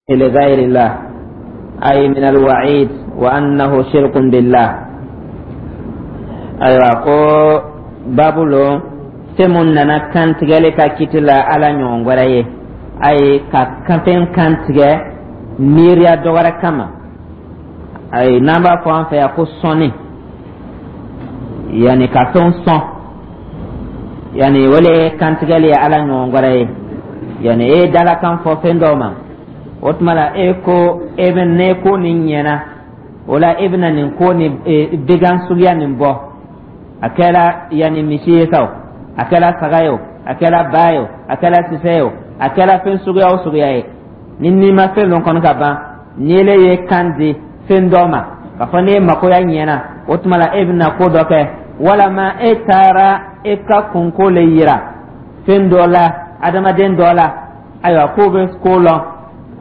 لغير الله أي من الوعيد وأنه شرك بالله. Ayiwa, ko babu lo fɛn mun nana kantigɛli ka kiti la Ala ɲɔgɔn wɛrɛ ye, ayi, ka fɛn kantigɛ miiriya dɔ wɛrɛ kama, ayi, n'an b'a fɔ an fɛ yan ko sɔnni, yanni ka fɛn sɔn, yanni o le ye kantigɛli ye Ala ɲɔgɔn wɛrɛ ye. Yanni e ye dalakan fɔ fɛn dɔw ma, o tuma la e ko e bɛ ne ko nin ɲɛna, o la e bɛna nin ko nin began suguya nin bɔ. A kɛra yanni misi ye sa o, a kɛra saga ye o, a kɛra ba ye o, a kɛra sisɛ ye o, a kɛra fɛn suguya o suguya ye, ni n'i ma fɛn dɔ kɔni ka ban, ni ele ye kan di fɛn dɔ ma k'a fɔ n'e makoya ɲɛna, o tuma la e bɛna ko dɔ kɛ, walama e taara e ka kunko le yira fɛn dɔ la, adamaden dɔ la, ayiwa, k'o bɛ ko lɔn,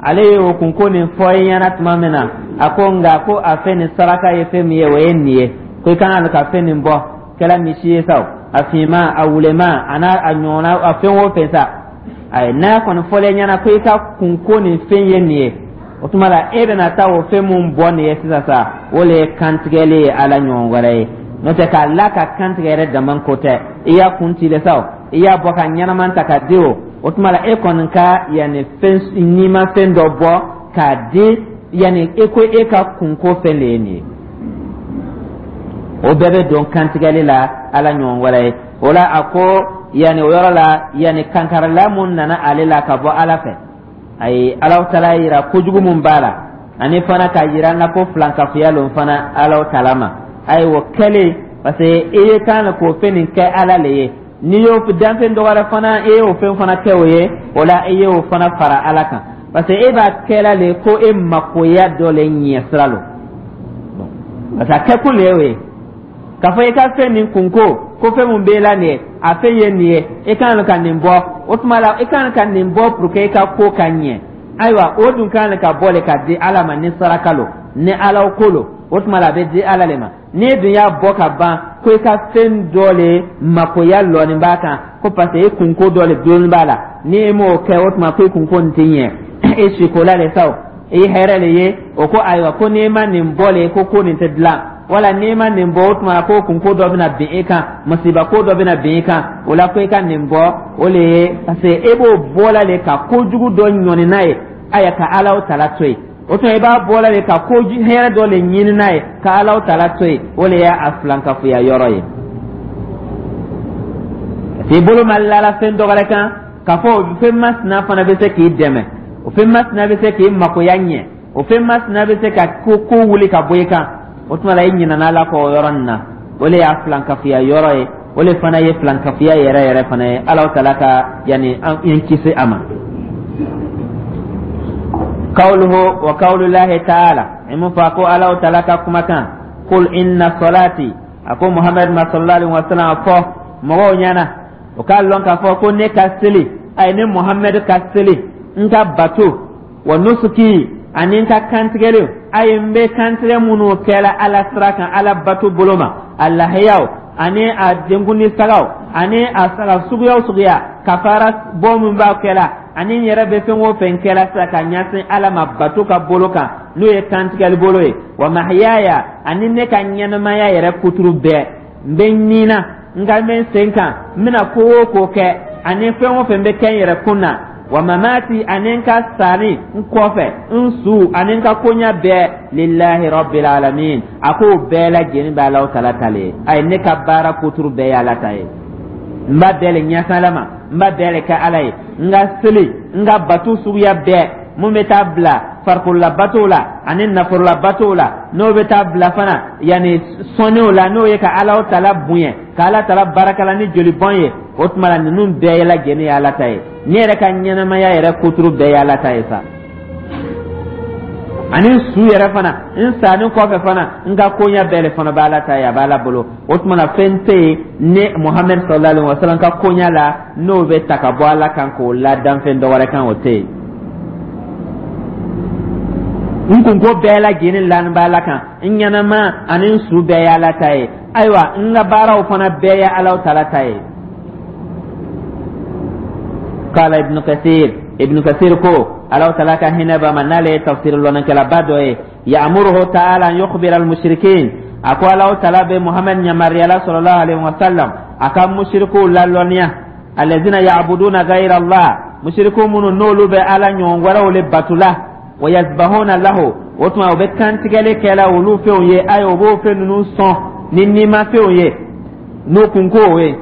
ale ye o kunko nin fɔ i ɲɛna tuma min na, a ko nka ko a fɛn nin saraka ye fɛn min ye, o ye nin ye, ko i kan ka fɛn nin bɔ, kɛra misi ye sa o, a finman, a wuleman, a n'a a ɲɔgɔnna, a fɛn o fɛn sa, ayi, n'a kɔni fɔlen ɲɛna ko i ka kunko nin fɛn ye nin ye, o tuma la e bɛna taa o fɛn mun bɔ nin ye sisan sa, o le ye kantigɛli ye Ala ɲɔgɔn wɛrɛ ye. N'o tɛ, k'a la ka kantigɛ yɛrɛ dama ko tɛ, i y'a kun ci de sa o, i y'a bɔ ka ɲɛnama ta ka di o, o tuma la e kɔni ka yanni fɛn nima fɛn dɔ bɔ k'a di, yanni e ko e ka kunko fɛn de ye nin ye, o bɛɛ bɛ don kantigɛli la Ala ɲɔgɔn wɛrɛ ye. O la a ko yanni o yɔrɔ la, yanni kankarila mun nana ale la ka bɔ Ala fɛ, ayi, Alahu Taala yira kojugu mun b'a la, ani fana k'a yira n na ko filankafoya lon fana Alahu Taala ma. Ayi, o kɛlen, parce que i ye kan k'o fɛn nin kɛ Ala le ye, n'i y'o danfɛn dɔ wɛrɛ fana, i y'o fɛn fana kɛ o ye, o la i y'o fana fara Ala kan, parce que e b'a kɛla le ko e makoya dɔ le ɲɛ sira lo, parce que a kɛkun le y'o ye k'a fɔ i ka fɛn nin kunko, ko fɛn mun b'e la nin ye, a fɛn ye nin ye, i kan ka nin bɔ, o tuma la i kan ka nin bɔ pour que i ka ko ka ɲɛ. Ayiwa, o dun kan ka bɔ le ka di Ala ma. Ni saraka lo, ni Ala ko lo, o tuma la a bɛ di Ala le ma. N'i dun y'a bɔ ka ban ko i ka fɛn dɔ le makoya lɔnin b'a kan, ko parce que i kunko dɔ le dulonni b'a la, ni e m'o kɛ, o tuma ko i kunko nin tɛ ɲɛ, e sikola le sa o, i hɛrɛ le ye o, ko ayiwa, ko n'i ma nin bɔ le, ko ko nin tɛ dilan, wala n'i ma nin bɔ, o tuma ko kunko dɔ bɛna bin e kan, masiba ko dɔ bɛna bin e kan, o la ko i ka nin bɔ, o le ye parce que e b'o bɔla le ka kojugu dɔ ɲɔni n'a ye, ayiwa, ka Alaw Tala to yen. O tuma i b'a bɔla le ka ko hɛrɛ dɔ le ɲini n'a ye, ka Alaw Tala to yen, o le y'a filankafoya yɔrɔ ye. Parce que i bolo ma lala fɛn dɔ wɛrɛ kan k'a fɔ o fɛn masina fana bɛ se k'i dɛmɛ, o fɛn masina bɛ se k'i makoya ɲɛ, o fɛn masina bɛ se ka ko ko wuli ka bɔ i kan, o tuma la i ɲinɛna Ala kɔ o yɔrɔ nin na. O le y'a filankafoya yɔrɔ ye, o le fana ye filankafoya yɛrɛ yɛrɛ fana ye. Alaw Tala ka yanni an kisi a ma. Kawluhu wa kawlulahi taala, i mun fɔ ko Alaw Tala ka kumakan, qul inna salati, a ko Muhamadu ma sallallahu alaihi wa sallam, fɔ mɔgɔw ɲɛna o k'a lɔn k'a fɔ ko ne ka seli, ayi, ne Muhamadu ka seli, n ka bato, wa nusuki, ani n ka kantigɛliw, ayi, n bɛ kantigɛ minnu kɛla Ala sira kan, Ala bato bolo ma, a lahiyaw ani a denkundi sagaw ani a saga suguya o suguya, kafara bɔ min b'a kɛla, ani n yɛrɛ bɛ fɛn o fɛn kɛla sisan ka ɲɛsin Ala ma bato ka bolo kan, n'o ye kantigɛli bolo ye, wa mahiyaya, ani ne ka ɲɛnamaya yɛrɛ kuturu bɛɛ, n bɛ nin na, n ka bɛ n sen kan, n bɛna ko o ko kɛ, ani fɛn o fɛn bɛ kɛ n yɛrɛ kun na, wa mamati, ani n ka sani n kɔfɛ, n su ani n ka koɲa bɛɛ, lillahi rabbil alamin, a k'o bɛɛ lajɛlen bɛ Alahu Tala ta le ye. Ayi, ne ka baara kuturu bɛɛ ye Ala ta ye, n b'a bɛɛ le ɲɛsin Ala ma, n b'a bɛɛ le kɛ Ala ye. N ka seli, n ka bato suguya bɛɛ, mun bɛ taa bila farikololabatow la ani nafololabatow la, n'o bɛ taa bila fana yanni sɔnniw la, n'o ye ka Alahu Tala bonya, ka Ala Tala baarakala ni jolibɔn ye, o tuma la ninnu bɛɛ lajɛlen ye Ala ta ye. Ne yɛrɛ ka ɲɛnamaya yɛrɛ kuturu bɛɛ ye Ala ta ye sa, ani n su yɛrɛ fana, n sanni kɔfɛ fana, n ka koɲɛ bɛɛ le fana bɛ Ala ta ye, a bɛ Ala bolo. O tuma na fɛn tɛ yen ne Muhamɛd sallallahu alaihi wa sallam ka koɲɛ la n'o bɛ ta ka bɔ Ala kan k'o la danfɛn dɔ wɛrɛ kan, o tɛ yen. N kunko bɛɛ lajɛlen lanin bɛ Ala kan, n ɲɛnama ani n su bɛɛ ye Ala ta ye, ayiwa, n ka baaraw fana bɛɛ ye Ala Tala ta ye. Kala Ibnu Kasir, Ibnu Kasir ko Alahu Taala ka hinɛ b'a ma, n'ale ye tafsir lɔnnikɛlaba dɔ ye, ya'muruhu ta'ala an yukhbira al-mushrikin, a ko Alahu Taala bɛ Muhammad yamaruyala sallallahu alaihi wa sallam a ka musirikuw lalɔnniya, alladhina ya'buduna ghayra Allah, musiriku minnu n'olu bɛ Ala ɲɔgɔn wɛrɛw le batula, wa yazbahuna lahu, o tuma u bɛ kantigɛli kɛla olu fɛnw ye, ayi, u b'o fɛn ninnu sɔn ni nimafɛnw ye n'o kunko ye,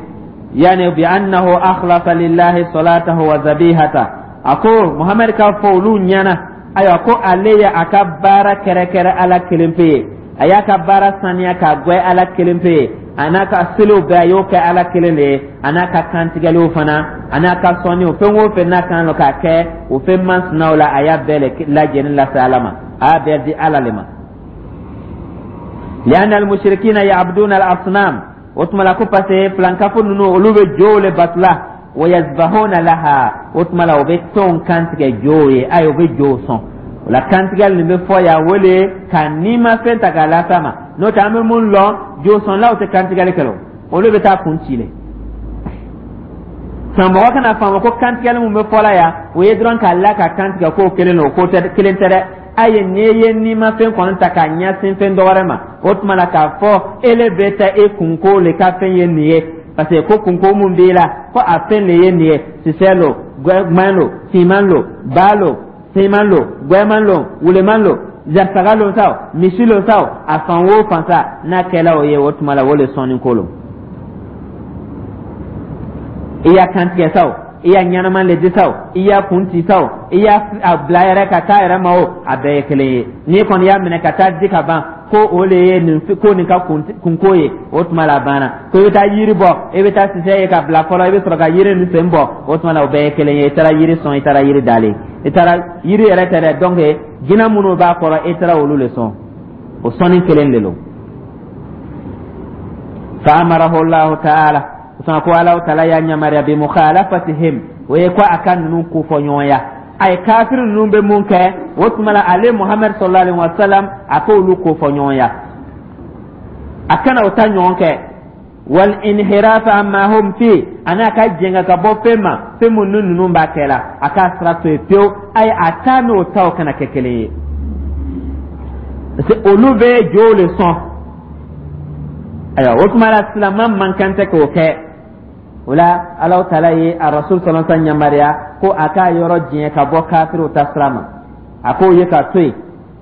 yani bi annahu akhlasa lillahi salatahu wa zabihata. A ko Muhamadu k'a fɔ olu ɲɛna, ayiwa, ko ale ye a ka baara kɛrɛkɛrɛ Ala kelen pe ye, a y'a ka baara saniya k'a gwɛ Ala kelen pe ye, a n'a ka seliw bɛɛ, a y'o kɛ Ala kelen de ye, a n'a ka kantigɛliw fana, a n'a ka sɔnniw, fɛn o fɛn n'a kan k'a kɛ o fɛn masinaw la, a y'a bɛɛ lajɛlen lase Ala ma, a y'a bɛɛ di Ala le ma. Lianna almushrikina ya'buduna al-asnam, o tuma la ko parce que filankafo ninnu, olu bɛ jow le batula, wa yazbahuna laha, o tuma la u bɛ fɛnw kantigɛ jow ye, ayi, u bɛ jow sɔn. O la kantigɛli nin bɛ fɔ yan, o le ka nimafɛn ta k'a las'a ma. N'o tɛ, an bɛ mun lɔn, jo sɔnlaw tɛ kantigɛli kɛ, o olu bɛ taa kun ci le. San mɔgɔ kana faamu ko kantigɛli mun bɛ fɔla yan, o ye dɔrɔn k'a la ka kantigɛ k'o kelen don, k'o tɛ kelen tɛ dɛ. Ayi, n'i ye nimafɛn kɔni ta k'a ɲɛsin fɛn dɔ wɛrɛ ma, o tuma la k'a fɔ ele bɛ taa e kunko le ka fɛn ye nin ye, parce que ko kunko mun b'i la, ko a fɛn le ye nin ye, sisɛ lo, gbɛn lo, finman lo, ba lo, finman lo, gbɛman lo, wuleman lo, saga lo sa o, misi lo sa o, a fan o fan sa, n'a kɛla o ye, o tuma la o le sɔnni ko lo. I y'a kantigɛ sa o, i y'a ɲɛnama le di sa o, i y'a kun ci sa o, i y'a a bila yɛrɛ ka taa yɛrɛ ma o, a bɛɛ ye kelen ye. N'i kɔni y'a minɛ ka taa di ka ban ko o le ye nin ko nin ka kunko ye, o tuma la a banna. Ko i bɛ taa yiri bɔ, i bɛ taa sisɛ ye ka bila fɔlɔ, i bɛ sɔrɔ ka yiri nin sen bɔ, o tuma la o bɛɛ ye kelen ye. I taara yiri sɔn, i taara yiri dalen, i taara yiri yɛrɛ tɛ dɛ, donc jinɛ minnu b'a kɔrɔ, i taara olu le sɔn, o sɔnni kelen de don. Fa amarahu Allahu ta'ala, sɔn ko Alahu Taala y'a yamaruya, bi mukhalafatihim, o ye ko a ka ninnu kofɔ ɲɔgɔnya. A ye kafiri ninnu bɛ mun kɛ, o tuma la ale Muhamadu sallallahu alaihi wa sallam, a k'olu kofɔ ɲɔgɔnya, a kana o ta ɲɔgɔn kɛ. Wal inhirafa amma hum fi, ani a ka jɛngɛ ka bɔ fɛn ma, fɛn mun ni ninnu b'a kɛ la, a k'a sira to yen pewu. Ayi, a ta n'o taw kana kɛ kelen ye, parce que olu bɛ jow le sɔn. Ayiwa, o tuma la silama man kan tɛ k'o kɛ. O la Alahu Taala ye a rasul sallallahu alaihi wasallam yamaruya ko a k'a yɔrɔ jɛn ka bɔ kafiriw ta sira ma, a k'o ye ka to yen.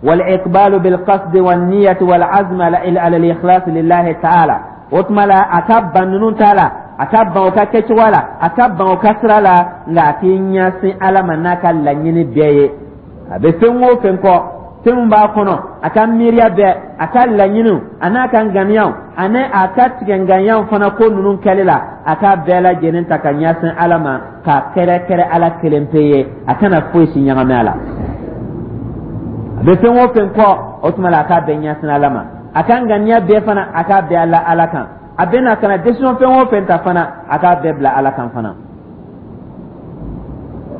Wal iqbalu bil qasdi wan niyyati wal azm ala al ikhlas lillahi ta'ala, o tuma la a ka ban ninnu ta la, a ka ban o ka kɛcogoya la, a ka ban o ka sira la, nka a k'i ɲɛsin Ala ma n'a ka laɲini bɛɛ ye. A bɛ fɛn o fɛn kɔ, fɛn min b'a kɔnɔ, a ka miiriya bɛɛ, a ka laɲiniw, a n'a ka ŋaniyaw, ani a ka tigɛŋaniyaw fana, ko ninnu kɛli la, a k'a bɛɛ lajɛlen ta ka ɲɛsin Ala ma, k'a kɛrɛkɛrɛ Ala kelen pe ye, a kana foyi si ɲagami a la. A bɛ fɛn o fɛn kɔ, o tuma la a k'a bɛɛ ɲɛsin Ala ma, a ka ŋaniya bɛɛ fana, a k'a bɛɛ la Ala kan. A bɛna ka na décision fɛn o fɛn ta fana, a k'a bɛɛ bila Ala kan fana,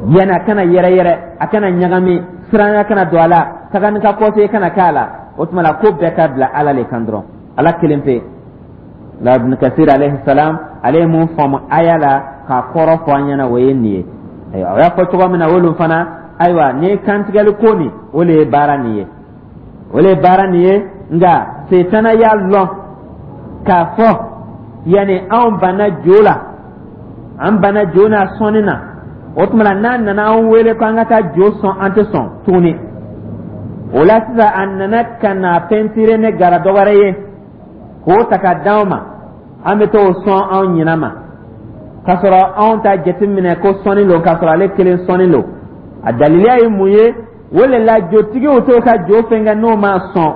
yanni a kana yɛrɛyɛrɛ, a kana ɲagami, siranya kana don a la, taga ni ka kɔse kana k'a la. O tuma la ko bɛɛ ka bila Ala le kan dɔrɔn, Ala kelen pe la. Ibn Kasir alayhi salam, ale ye mun faamu aya la k'a kɔrɔ fɔ an ɲɛna, o ye nin ye. Ayiwa, o y'a fɔ cogo min na, olu fana, ayiwa, nin ye kantigɛli ko nin, o le ye baara nin ye, o le ye baara nin ye. Nka setana y'a lɔn k'a fɔ yanni anw banna jo la, an banna jo n'a sɔnni na, o tuma la n'a nana an wele ko an ka taa jo sɔn, an tɛ sɔn tuguni. O la sisan a nana ka na pɛntire ne gara dɔ wɛrɛ ye k'o ta ka d'anw ma, an bɛ t'o sɔn anw ɲinɛ ma, k'a sɔrɔ anw t'a jateminɛ ko sɔnni don, k'a sɔrɔ ale kelen sɔnni don. A daliliya ye mun ye? O le la jotigiw t'o ka jo fɛn kɛ n'o ma sɔn.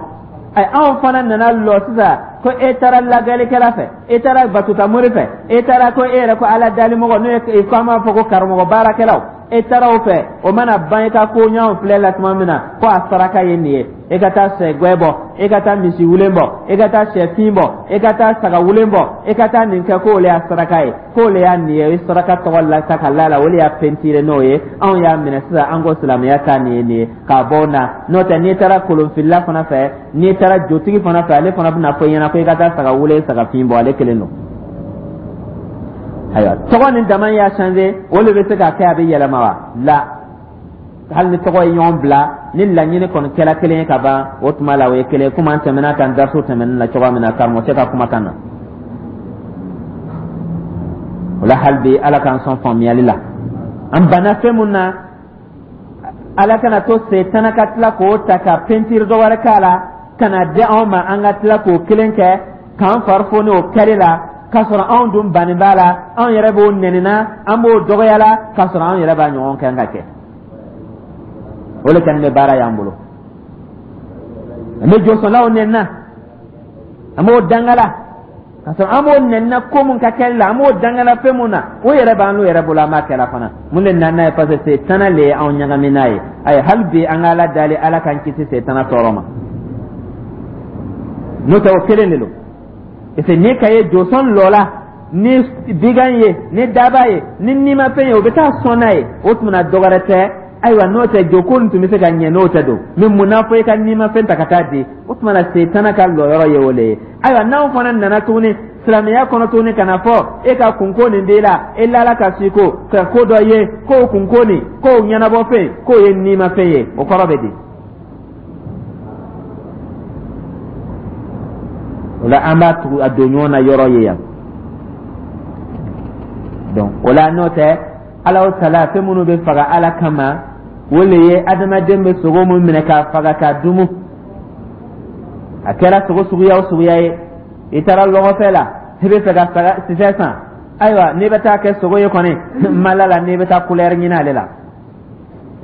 Ayi, anw fana nana lɔ sisan ko e taara lagalikɛla fɛ, e taara batutamori fɛ, e taara ko e yɛrɛ ko Ala dalimɔgɔ, n'o ye ko an b'a fɔ ko karamɔgɔ baarakɛlaw, e taara o fɛ. O mana ban, i ka ko ɲɔgɔn filɛ la tuma min na ko a saraka ye nin ye, e ka taa sɛ gwɛ bɔ, e ka taa misi wulen bɔ, e ka taa sɛ fin bɔ, e ka taa saga wulen bɔ, e ka taa nin kɛ, k'o le y'a saraka ye, k'o le y'a nin ye. I saraka tɔgɔ la ta ka la la, o le y'a pɛntire n'o ye. Anw y'a minɛ sisan, an ko silamɛya ta nin ye nin ye k'a bɔ na. N'o tɛ, n'i taara kolonfilila fana fɛ, n'i taara jotigi fana fɛ, ale fana bɛna fɔ i ɲɛna ko i ka taa saga wulen, saga fin bɔ, ale kelen don. Ayiwa, tɔgɔ ni dama y'a changer, o de bɛ se ka kɛ a bɛ yɛlɛma wa? La. Hali ni tɔgɔ ye ɲɔgɔn bila, ni laɲini kɔni kɛla kelen ye ka ban, o tuma la o ye kelen ye, komi an tɛmɛna kan dariso tɛmɛnen na cogoya min na, karamɔgɔcɛ ka kumakan na. O la, hali bi, Ala k'an sɔn faamuyali la. An banna fɛn mun na, Ala kana to Setana ka tila k'o ta ka pentiri dɔ wɛrɛ k'a la ka na di anw ma, an ka tila k'o kelen kɛ k'an fari foni o kɛli la, k'a sɔrɔ anw dun banni b'a la, anw yɛrɛ b'o nɛnina, an b'o dɔgɔya la, k'a sɔrɔ anw yɛrɛ b'a ɲɔgɔn kɛ ka kɛ. O le kɛlen bɛ baara y'an bolo. An bɛ jɔsɔnlaw nɛnina, an b'o dangala, k'a sɔrɔ an b'o nɛnina ko mun ka kɛli la, an b'o dangala fɛn mun na, o yɛrɛ b'an n'o yɛrɛ bolo, an b'a kɛla fana. Mun de nana n'a ye? Parce que Setana le ye anw ɲagami n'a ye. Ayi, hali bi an ka Ala dali, Ala k'an kisi Setana tɔɔrɔ ma. N'o tɛ, o kelen de don, parce que n'i ka ye jɔsɔn lɔ la ni bigan ye, ni daba ye, ni nimafɛn ye, o bɛ taa sɔn n'a ye. O tuma na, dɔ wɛrɛ tɛ. Ayiwa, n'o tɛ, joko nin tun bɛ se ka ɲɛ, n'o tɛ don mɛ. Mun n'a fɔ i ka nimafɛn ta ka taa di? O tuma na, Setana ka lɔyɔrɔ ye o le ye. Ayiwa, n'anw fana nana tuguni silamɛya kɔnɔ tuguni, ka na fɔ e ka kunko nin b'i la, e lala ka si ko ka ko dɔ ye, k'o kunko nin, k'o ɲɛnabɔ fɛn, k'o ye nimafɛn ye, o kɔrɔ bɛ di? O la, an b'a tugu a don ɲɔgɔn na yɔrɔ ye yan. Donc o la, n'o tɛ, Ala tala, fɛn minnu bɛ faga Ala kama, o le ye adamaden bɛ sogo mun minɛ k'a faga k'a dumu. A kɛra sogo suguya o suguya ye, i taara lɔgɔfɛ la, i bɛ fɛ ka saga sisɛ san. Ayiwa, n'i bɛ taa kɛ sogo ye kɔni, mala la, n'i bɛ taa kulɛri ɲini ale la,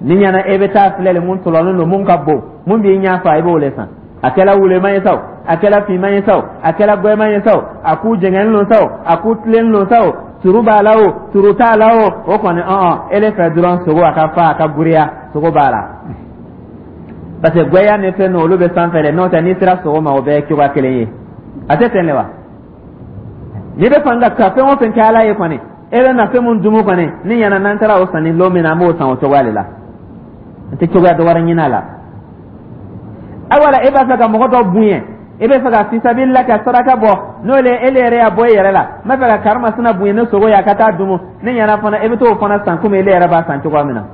ni ɲɛna, e bɛ taa filɛ le, mun tɔlɔlen don, mun ka bon, mun b'i ɲɛ fa, i b'o le san. A kɛla wuleman ye sa o, a kɛla finman ye sa o, a kɛla gwɛman ye sa o, a k'u jɛngɛnnen don sa o, a k'u tilennen don sa o, turu b'a la o, turu t'a la o, o kɔni, ɔn e le fɛ dɔrɔn sogo a ka fa, a ka giriya, sogo b'a la. Parce que gwɛya ni fɛn ninnu, olu bɛ sanfɛ dɛ. N'o tɛ, n'i sera sogo ma, o bɛɛ ye cogoya kelen ye. A tɛ ten de wa? N'i bɛ fan ka fɛn o fɛn kɛ Ala ye kɔni, e bɛ na fɛn mun dumu kɔni, ni ɲɛna, n'an taara o sanni lon min na, an b'o san o cogoya de la, an tɛ cogoya dɔ wɛrɛ ɲini a la. Ayiwa, e b'a fɛ ka mɔgɔ dɔ bonya, e bɛ fɛ ka fisabilila ka saraka bɔ, n'o le e yɛrɛ y'a bɔ e yɛrɛ la, n b'a fɛ ka karimasina bonya ni sogo ye, a ka taa dumu, ni ɲɛna fana, e bɛ t'o fana san komi ele yɛrɛ b'a san cogoya min na.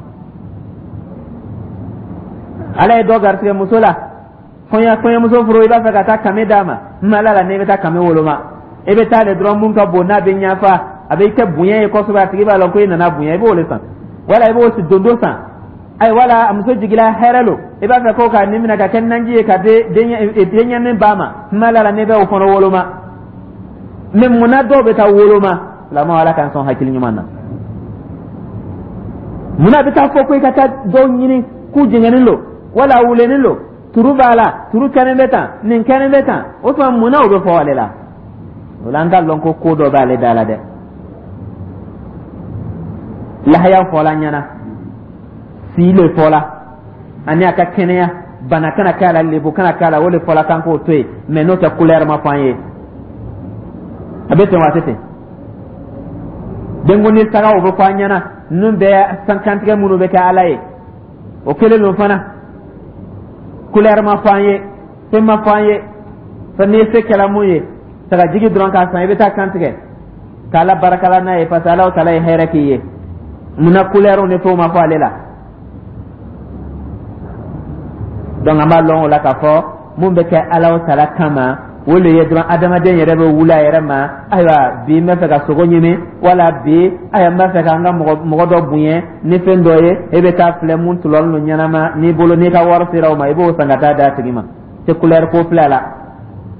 Ala ye dɔ garisɛgɛ muso la, kɔɲɔmuso furu, i b'a fɛ ka taa kame d'a ma, n ala la, n'i bɛ taa kame woloma, e bɛ taa de dɔrɔn mun ka bon, n'a bɛ ɲafa, a bɛ kɛ bonya ye kosɛbɛ, a tigi b'a lɔn ko i nana bonya, i b'o le san, wala i b'o dondo san. Ayi, wala a muso jigila hɛrɛ lo, i b'a fɛ ko ka nin minɛ ka kɛ naji ye ka denyɛnin ba ma, n ala la, n'i bɛ o fana woloma. Mɛ munna dɔw bɛ taa woloma? Lamɔ, Ala k'an sɔn hakili ɲuman na. Munna bɛ taa fɔ ko i ka taa dɔw ɲini k'u jɛngɛnnen don, wala wulennen don, turu b'a la, turu kɛnɛ bɛ tan, nin kɛnɛ bɛ tan? O tuma, munna o bɛ fɔ ale la? O la, an k'a lɔn ko ko dɔ b'ale da la dɛ. Lahaya fɔla ɲɛna, si le fɔla, ani a ka kɛnɛya, bana kana k'a la, lebu kana k'a la, o le fɔla k'an k'o to yen. Mɛ n'o tɛ, kulɛri ma fɔ an ye. A bɛ ten wa, a tɛ ten? Denkundi sagaw bɛ fɔ an ɲɛna, ninnu bɛɛ kantigɛ minnu bɛ kɛ Ala ye, o kelen don fana, kulɛri ma fɔ an ye, fɛn ma fɔ an ye. Fɛn n'i se kɛla mun ye, sagajigi dɔrɔn k'a san, i bɛ taa kantigɛ k'Ala barakala n'a ye, parce que Ala taala ye hɛrɛ k'i ye. Munna kulɛriw ni fɛnw ma fɔ ale la? Donc an b'a lɔn o la k'a fɔ mun bɛ kɛ Ala taala kama, o le ye dɔrɔn adamaden yɛrɛ bɛ wuli a yɛrɛ ma. Ayiwa, bi n bɛ fɛ ka sogo ɲimi, wala bi, ayiwa, n b'a fɛ ka n ka mɔgɔ dɔ bonya ni fɛn dɔ ye, e bɛ taa filɛ mun tulɔlen don ɲɛnama n'i bolo, n'i ka wari sera o ma, i b'o san ka taa d'a tigi ma. Tɛ kulɛri ko filɛ a la.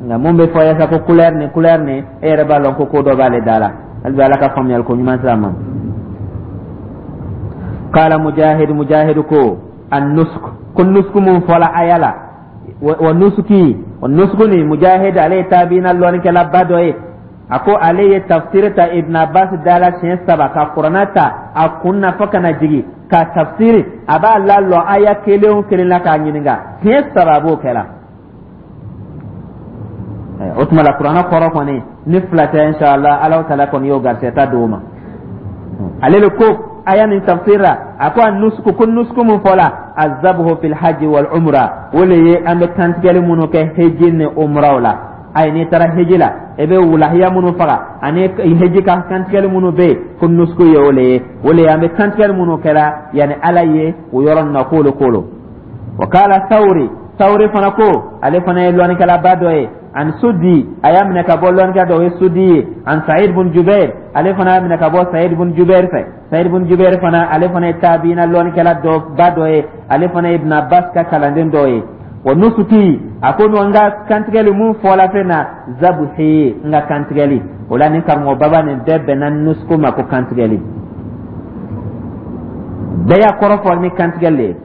Nka mun bɛ fɔ yasa ko kulɛri ni kulɛri ni, e yɛrɛ b'a lɔn ko ko dɔ b'ale da la. Hali bi, Ala ka faamuyali ko ɲuman sira ma. Qala Mujahid, Mujahid ko an nusuk, ko nusuku mun fɔla aya la, wa nusuki wa nusuku ni, Mujahid, ale ye tabiina lɔnnikɛlaba dɔ ye. A ko ale ye tafsiri ta Ibn Abbas da la siɲɛ saba, ka Kuranɛ ta a kun na fo ka na jigin ka tafsiri, a b'a lalɔ aya kelen o kelen la k'a ɲininka siɲɛ 3, a b'o kɛla. O tuma la, Kuranɛ kɔrɔ kɔni ni fila tɛ, inshallah, Ala taala kɔni y'o garisɛgɛ ta d'o ma. Ale le ko aya nin tafsir la, a ko a nusuku, ko nusuku mun fɔla, azabuhu fil hajji wal umra, o le ye an bɛ kantigɛli minnu kɛ heji ni umraw la. Ayi, n'i taara heji la, i bɛ wulahiya minnu faga ani heji ka kantigɛli minnu bɛ yen, ko nusuku ye o le ye. O le ye an bɛ kantigɛli minnu kɛra yanni Ala ye o yɔrɔ ninnu na, k'olu ko lo. Wa kala Sawuri, Sawuri fana ko, ale fana ye lɔnnikɛlaba dɔ ye, an Sudi, a y'a minɛ ka bɔ lɔnnikɛ dɔ, o ye Sudi ye, an Said bun Jubair, ale fana y'a minɛ ka bɔ Said bun Jubair fɛ. Said bun Jubair fana, ale fana ye tabiina lɔnnikɛla dɔ ba dɔ ye, ale fana ye Ibn Abbas ka kalanden dɔ ye. Wa nusuki, a ko n ka kantigɛli mun fɔla fɛn na, zabuhi, n ka kantigɛli. O la nin karamɔgɔ baba nin bɛɛ bɛnna nusuku ma ko kantigɛli, bɛɛ y'a kɔrɔ fɔ ni kantigɛli le ye.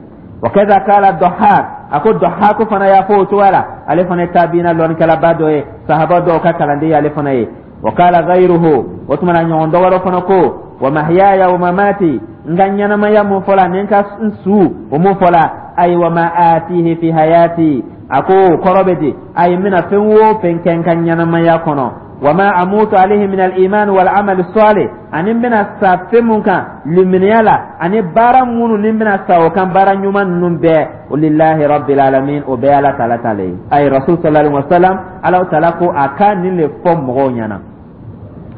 Wa kaza kala Dɔhak, a ko Dɔhaku fana y'a fɔ o cogoya la, ale fana ye tabiina lɔnnikɛlaba dɔ ye, sahaba dɔw ka kalanden ye ale fana ye. Wa kala gayruhu, o tuma na ɲɔgɔn dɔ wɛrɛ fana ko wa mahyaya wa mamati, n ka ɲɛnamaya mun fɔla ni n ka su o mun fɔla, ayi, wa ma atihi fi hayati, a ko kɔrɔ bɛ di, ayi, n bɛna fɛn o fɛn kɛ n ka ɲɛnamaya kɔnɔ, wa ma amutu alayhi min al-iman wal amal salih, ani n bɛna sa fɛn mun kan limaniya la ani baara minnu ni n bɛna sa o kan, baara ɲuman ninnu bɛɛ, o lillahi rabbil alamin, o bɛɛ Ala taala ta le ye. Ayi, Rasul sallallahu alaihi wasallam, Ala taala ko a ka nin le fɔ mɔgɔw ɲɛna.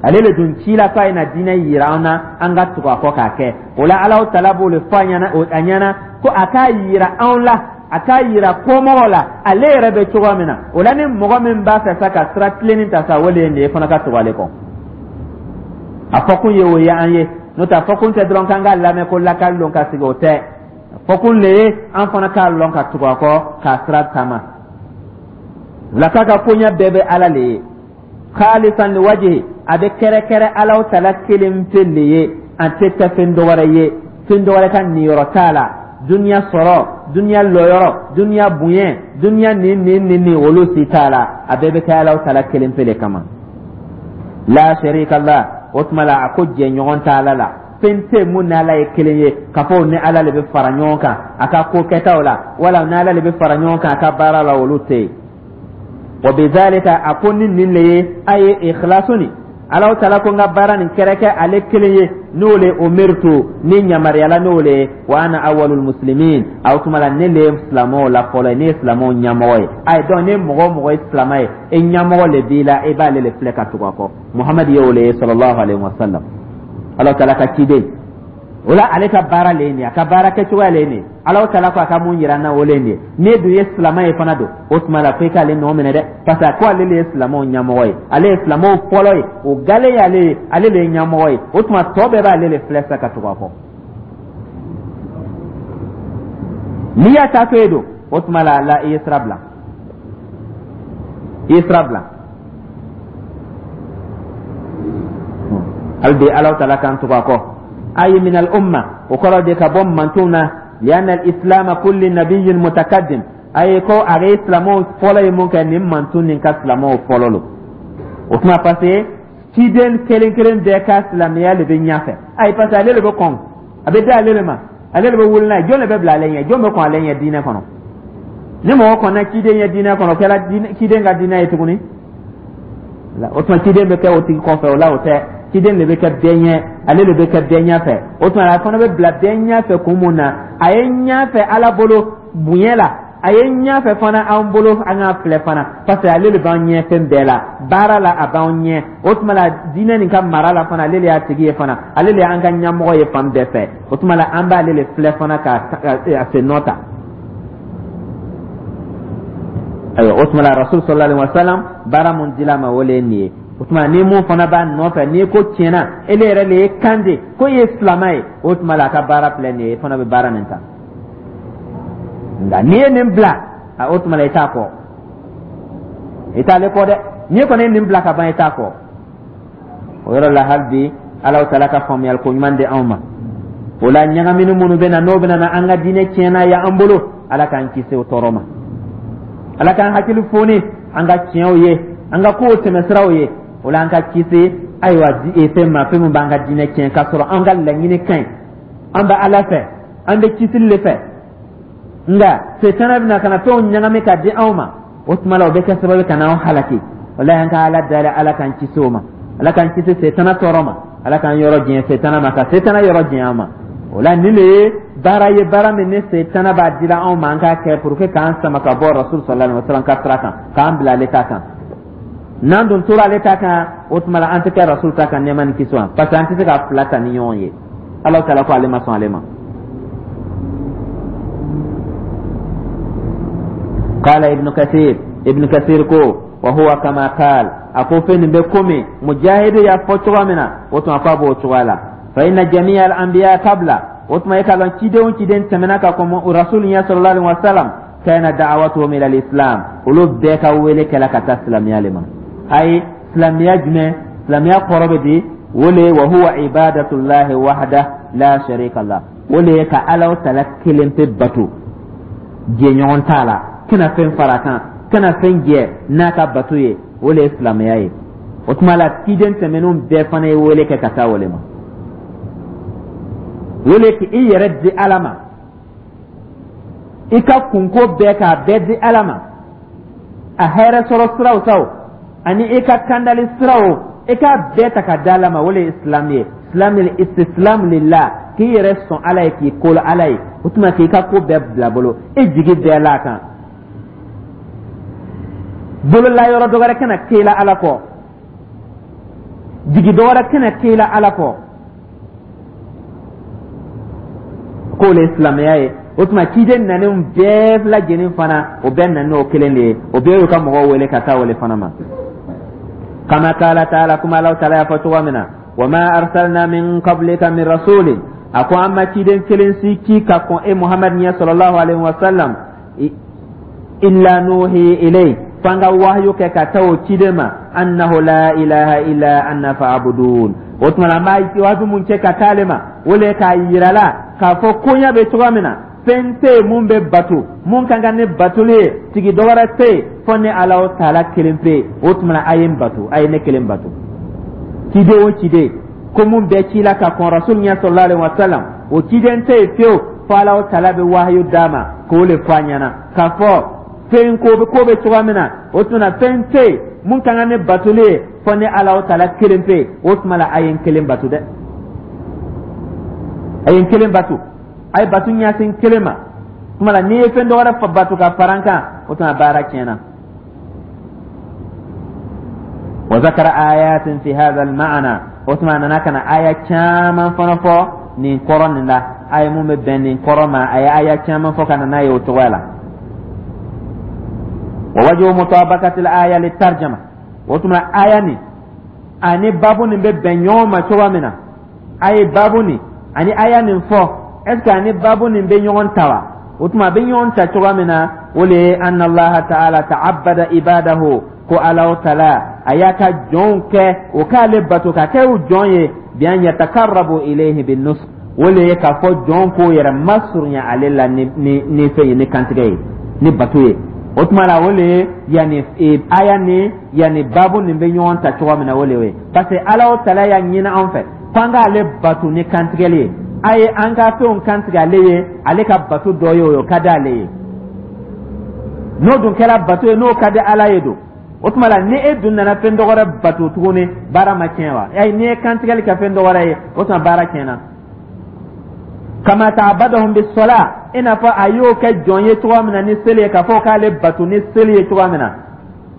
Ale le dun ci la k'a ye na diinɛ yira an na, an ka tugu a kɔ k'a kɛ. O la Ala taala b'o le fɔ a ɲɛna ko a k'a yira anw la, a k'a yira kɔmɔgɔw la ale yɛrɛ bɛ cogoya min na. O la ni mɔgɔ min b'a fɛ sa ka sira tilennin ta sa, o de ye nin ye, fana ka tugu ale kɔ. A fɔkun ye o ye an ye, n'o tɛ a fɔkun tɛ dɔrɔn k'an k'a lamɛn ko lakali lon ka sigi, o tɛ. A fɔkun le ye an fana k'a lɔn ka tugu a kɔ k'a sira taama. O la k'a ka koɲɛ bɛɛ bɛ Ala le ye, khalisan li wajhi, a bɛ kɛrɛkɛrɛ Alaw tala kelen pe le ye, an tɛ kɛ fɛn dɔ wɛrɛ ye, fɛn dɔ wɛrɛ ka niyɔrɔ t'a la, duniya sɔrɔ, duniya lɔyɔrɔ, duniya bonya, duniya nin nin nin nin, olu si t'a la, a bɛɛ bɛ kɛ Alaw tala kelen pe le kama. La sharika la, o tuma la a ko jɛɲɔgɔn t'a Ala la, fɛn tɛ mun ni Ala ye kelen ye k'a fɔ o ni Ala le bɛ fara ɲɔgɔn kan a ka ko kɛtaw la, wala ni Ala le bɛ fara ɲɔgɔn kan a ka baara la, olu tɛ yen. Wa bizalika, a ko ni nin le ye a ye ikhlasu ni Alaw tala ko n ka baara nin kɛrɛkɛ ale kelen ye, n'o le umirtu, ni yamaruyala n'o le ye, wa ana awwalul muslimin, aw tuma la ne le ye silamɛw la fɔlɔ ye, ne ye silamɛw ɲɛmɔgɔ ye. Ayi, donc ni mɔgɔ o mɔgɔ ye silamɛ ye, e ɲɛmɔgɔ le b'i la, e b'ale le filɛ ka tugu a kɔ. Muhamadu ye o le ye sallallahu alaihi wa sallam, Alaw tala ka ciden. O la ale ka baara le ye nin ye, a ka baara kɛcogoya le ye nin ye, Alaw tala ko a ka mun yira n na, o le ye nin ye. N'e dun ye silamɛ ye fana don, o tuma la fo i k'ale nɔ minɛ dɛ, parce que a ko ale le ye silamɛw ɲɛmɔgɔ ye, ale ye silamɛw fɔlɔ ye, o gale ye ale ye, ale le ye ɲɛmɔgɔ ye. O tuma tɔ bɛɛ b'ale le filɛ sa ka tugu a kɔ. N'i y'a ta to yen don, o tuma la i ye sira bila, i ye sira bila. Hali bi Alaw tala k'an tugu a kɔ. Ayi, min al umma, o kɔrɔ de ka bɔ mantonw na, lianna al islam kulli nabiyyin mutakaddim, ayi, ko a ye silamɛw fɔlɔ ye mun kɛ, nin manton nin ka silamɛw fɔlɔ lo. O tuma parce que ciden kelen kelen bɛɛ ka silamɛya de bɛ ɲɛfɛ. Ayi, parce que ale de bɛ kɔn, a bɛ di ale de ma, ale de bɛ wuli n'a ye. Jɔn de bɛ bila ale ɲɛ? Jɔn bɛ kɔn ale ɲɛ diinɛ kɔnɔ? Ni mɔgɔ kɔnna ciden ɲɛ diinɛ kɔnɔ, o kɛra ciden ka diinɛ ye tuguni. O tuma ciden bɛ kɛ o tigi kɔfɛ, o la o tɛ, ciden de bɛ kɛ bɛɛ ɲɛ, ale de bɛ kɛ bɛɛ ɲɛfɛ. O tuma a fana bɛ bila bɛɛ ɲɛfɛ kun mun na? A ye ɲɛfɛ Ala bolo bonya la, a ye ɲɛfɛ fana an bolo an k'a filɛ fana, parce que ale de b'an ɲɛ fɛn bɛɛ la, baara la a b'an ɲɛ. O tuma la diinɛ nin ka mara la fana, ale de y'a tigi ye fana, ale de y'an ka ɲɛmɔgɔ ye fan bɛɛ fɛ. O tuma la an b'ale de filɛ fana ka a sen nɔ ta. Ayiwa, o tuma la Rasul sallallahu alaihi wasallam, baara mun dila a ma, o le ye nin ye. O tuma ni mun fana b'a nɔfɛ, n'i ko tiɲɛna ele yɛrɛ le ye kan de ko i ye silamɛ ye, o tuma la a ka baara filɛ nin ye, i fana bɛ baara nin ta. Nka n'i ye nin bila, o tuma la i t'a kɔ, i t'ale kɔ dɛ. N'i kɔni ye nin bila ka ban, i t'a kɔ. O yɔrɔ la hali bi Alaw tala ka faamuyali ko ɲuman di anw ma. O la ɲagamini minnu bɛ na, n'o bɛ na an ka diinɛ tiɲɛna ye an bolo, Ala k'an kisi o tɔɔrɔ ma. Ala k'an hakili foni an ka tiɲɛw ye, an ka kow tɛmɛsiraw ye. O la an ka kisi, ayiwa, fɛn ma, fɛn min b'an ka diinɛ tiɲɛ k'a sɔrɔ an ka laɲini ka ɲi, an bɛ Ala fɛ, an bɛ kisili de fɛ, nka setana bɛna ka na fɛnw ɲagami ka di anw ma. O tuma la o bɛ kɛ sababu ka n'anw halaki. Walayi, an ka Ala dali, Ala k'an kisi o ma, Ala k'an kisi setana tɔɔrɔ ma, Ala k'an yɔrɔ janya setana ma, ka setana yɔrɔ janya an ma. O la nin de ye baara ye, baara min ni setana b'a dila anw ma an k'a kɛ pour que k'an sama ka bɔ Rasul sallallahu alaihi wasallam ka sira kan, k'an bila ale ta kan. N'an dun tora ale ta kan, o tuma la an tɛ kɛ rasul ta kan, nɛɛma ni kisi ma, parce que an tɛ se ka fila ta ni ɲɔgɔn ye. Ala taala ko ale ma sɔn ale ma. Qala Ibn Kathir, Ibn Kathir ko: wa huwa kama qal, a ko fɛn nin bɛ komi Mujahidu y'a fɔ cogoya min na, o tuma k'a b'o cogoya la. Fa inna jami'a al anbiya qabla, o tuma e k'a lɔn ciden o ciden tɛmɛna ka kɔn rasul ɲɛ sallallahu alaihi wa sallam, kana da'awatuhum ila al-islam, olu bɛɛ ka wele kɛla ka taa silamɛya le ma. Ayi, silamɛya jumɛn? Silamɛya kɔrɔ bɛ di? O le wa huwa ibadatullahi wahda la sharika lah, o le ye ka Ala tala kelen pe bato, jɛɲɔgɔn t'a la, kana fɛn fara a kan, kana fɛn jɛ n'a ka bato ye, o le ye silamɛya ye. O tuma la ciden tɛmɛnenw bɛɛ fana ye wele kɛ ka taa o le ma, o le k'i yɛrɛ di Ala ma, i ka kunko bɛɛ k'a bɛɛ di Ala ma, a hɛrɛ sɔrɔ siraw taw ani i ka kandali siraw, i k'a bɛɛ ta ka di Ala ma, o le ye islam ye. Islam istislam lillah, k'i yɛrɛ sɔn Ala ye, k'i kolo Ala ye. O tuma k'i ka ko bɛɛ bila bolo, i jigi bɛɛ la a kan, bolola yɔrɔ dɔ wɛrɛ kana k'e la Ala kɔ, jigi dɔ wɛrɛ kana k'e la Ala kɔ, k'o le ye silamɛya ye. O tuma ciden nanenw bɛɛ lajɛlen fana, o bɛɛ nana n'o kelen de ye, o bɛɛ y'u ka mɔgɔw wele ka taa o le fana ma. Kama kala taala, kuma Alahu taala y'a fɔ cogo min na: wa ma arsalna min qablika min rasulin, a ko an ma ciden kelen si ci ka kɔn e Muhamadu ɲɛ sallallahu alaihi wa sallam, illa nuhi ilayhi, f'an ka wahayu kɛ ka taa o ciden ma, annahu la ilaha illa anna fa'budun. O tuma na an b'a waaju mun kɛ ka taa ale ma, o le k'a yira la k'a fɔ koɲɛ bɛ cogoya min na, fɛn tɛ yen mun bɛ bato, mun ka kan ni batoli ye, tigi dɔ wɛrɛ tɛ yen fɔ ne Alahu taala kelen pe. O tuma na a ye n bato, a ye ne kelen bato. Ciden o ciden ko mun bɛɛ cila ka kɔn rasul ɲɛ sallallahu alaihi wa sallam, o ciden tɛ yen fiyewu fo Alahu taala bɛ wahayu d'a ma k'o le fɔ a ɲɛna k'a fɔ fɛn ko bɛ ko bɛ cogoya min na. O tuma na fɛn tɛ yen mun ka kan ni batoli ye fɔ ne Alahu taala kelen pe. O tuma la a ye n kelen bato dɛ, a ye n kelen bato, a ye bato ɲɛsin kelen ma. Tuma la n'i ye fɛn dɔ wɛrɛ bato ka fara n kan, o tuma baara tiɲɛna. Wa zakara ayatin fi hadha al-ma'na, o tuma a nana ka na aya caman fana fɔ nin kɔrɔ nin la, aya mun bɛ bɛn nin kɔrɔ ma, a ye aya caman fɔ ka na n'a ye o cogoya la. Wa wajhu mutabaqati al-aya litarjama, o tuma aya nin ani babu nin bɛ bɛn ɲɔgɔn ma cogoya min na, a ye babu nin ani aya nin fɔ, est ce que ani babu nin bɛ ɲɔgɔn ta wa? O tuma a bɛ ɲɔgɔn ta cogoya min na, o le ye anna Allaha ta'ala ta'abbada ibadahu, ko Alahu taala a y'a ka jɔnw kɛ o k'ale bato ka kɛ u jɔn ye, bi an yatakarrabu ilayhi bin nusuk, o le ye k'a fɔ jɔn k'o yɛrɛ masurunya ale la ni ni ni fɛn ye, ni kantigɛ ye, ni bato ye. O tuma la o le ye yanni aya ni yanni babu nin bɛ ɲɔgɔn ta cogoya min na, o le ye parce que Alahu taala y'a ɲini an fɛ ko an k'ale bato ni kantigɛli ye. A ye an ka fɛnw kantigɛ ale ye, ale ka bato dɔ ye o ye, o ka di ale ye. N'o dun kɛra bato ye, n'o ka di Ala ye don, o tuma la ni e dun nana fɛn dɔ wɛrɛ bato tuguni, baara ma tiɲɛ wa? Ayi, n'i ye kantigɛli kɛ fɛn dɔ wɛrɛ ye, o tuma baara tiɲɛna. Kama ta'abbadahum bis-salah, i n'a fɔ a y'o kɛ jɔn ye cogoya min na ni seli ye, k'a fɔ k'ale bato ni seli ye cogoya min na,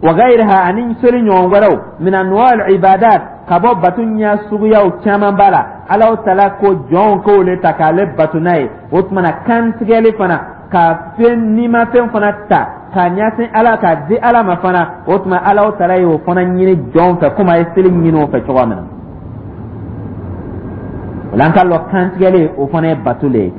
wa ghayriha, ani seli ɲɔgɔn wɛrɛw, min anwa'il ibadat, ka bɔ bato ɲɛ suguyaw caman b'a la. Alahu taala ko jɔnw k'o le ta k'ale bato n'a ye. O tuma na kantigɛli fana ka fɛn nimafɛn fana ta k'a ɲɛsin Ala, k'a di Ala ma fana, o tuma Alahu taala y'o fana ɲini jɔnw fɛ komi a ye seli ɲini o fɛ cogoya min na. O la an k'a lɔn kantigɛli, o fana ye bato le ye.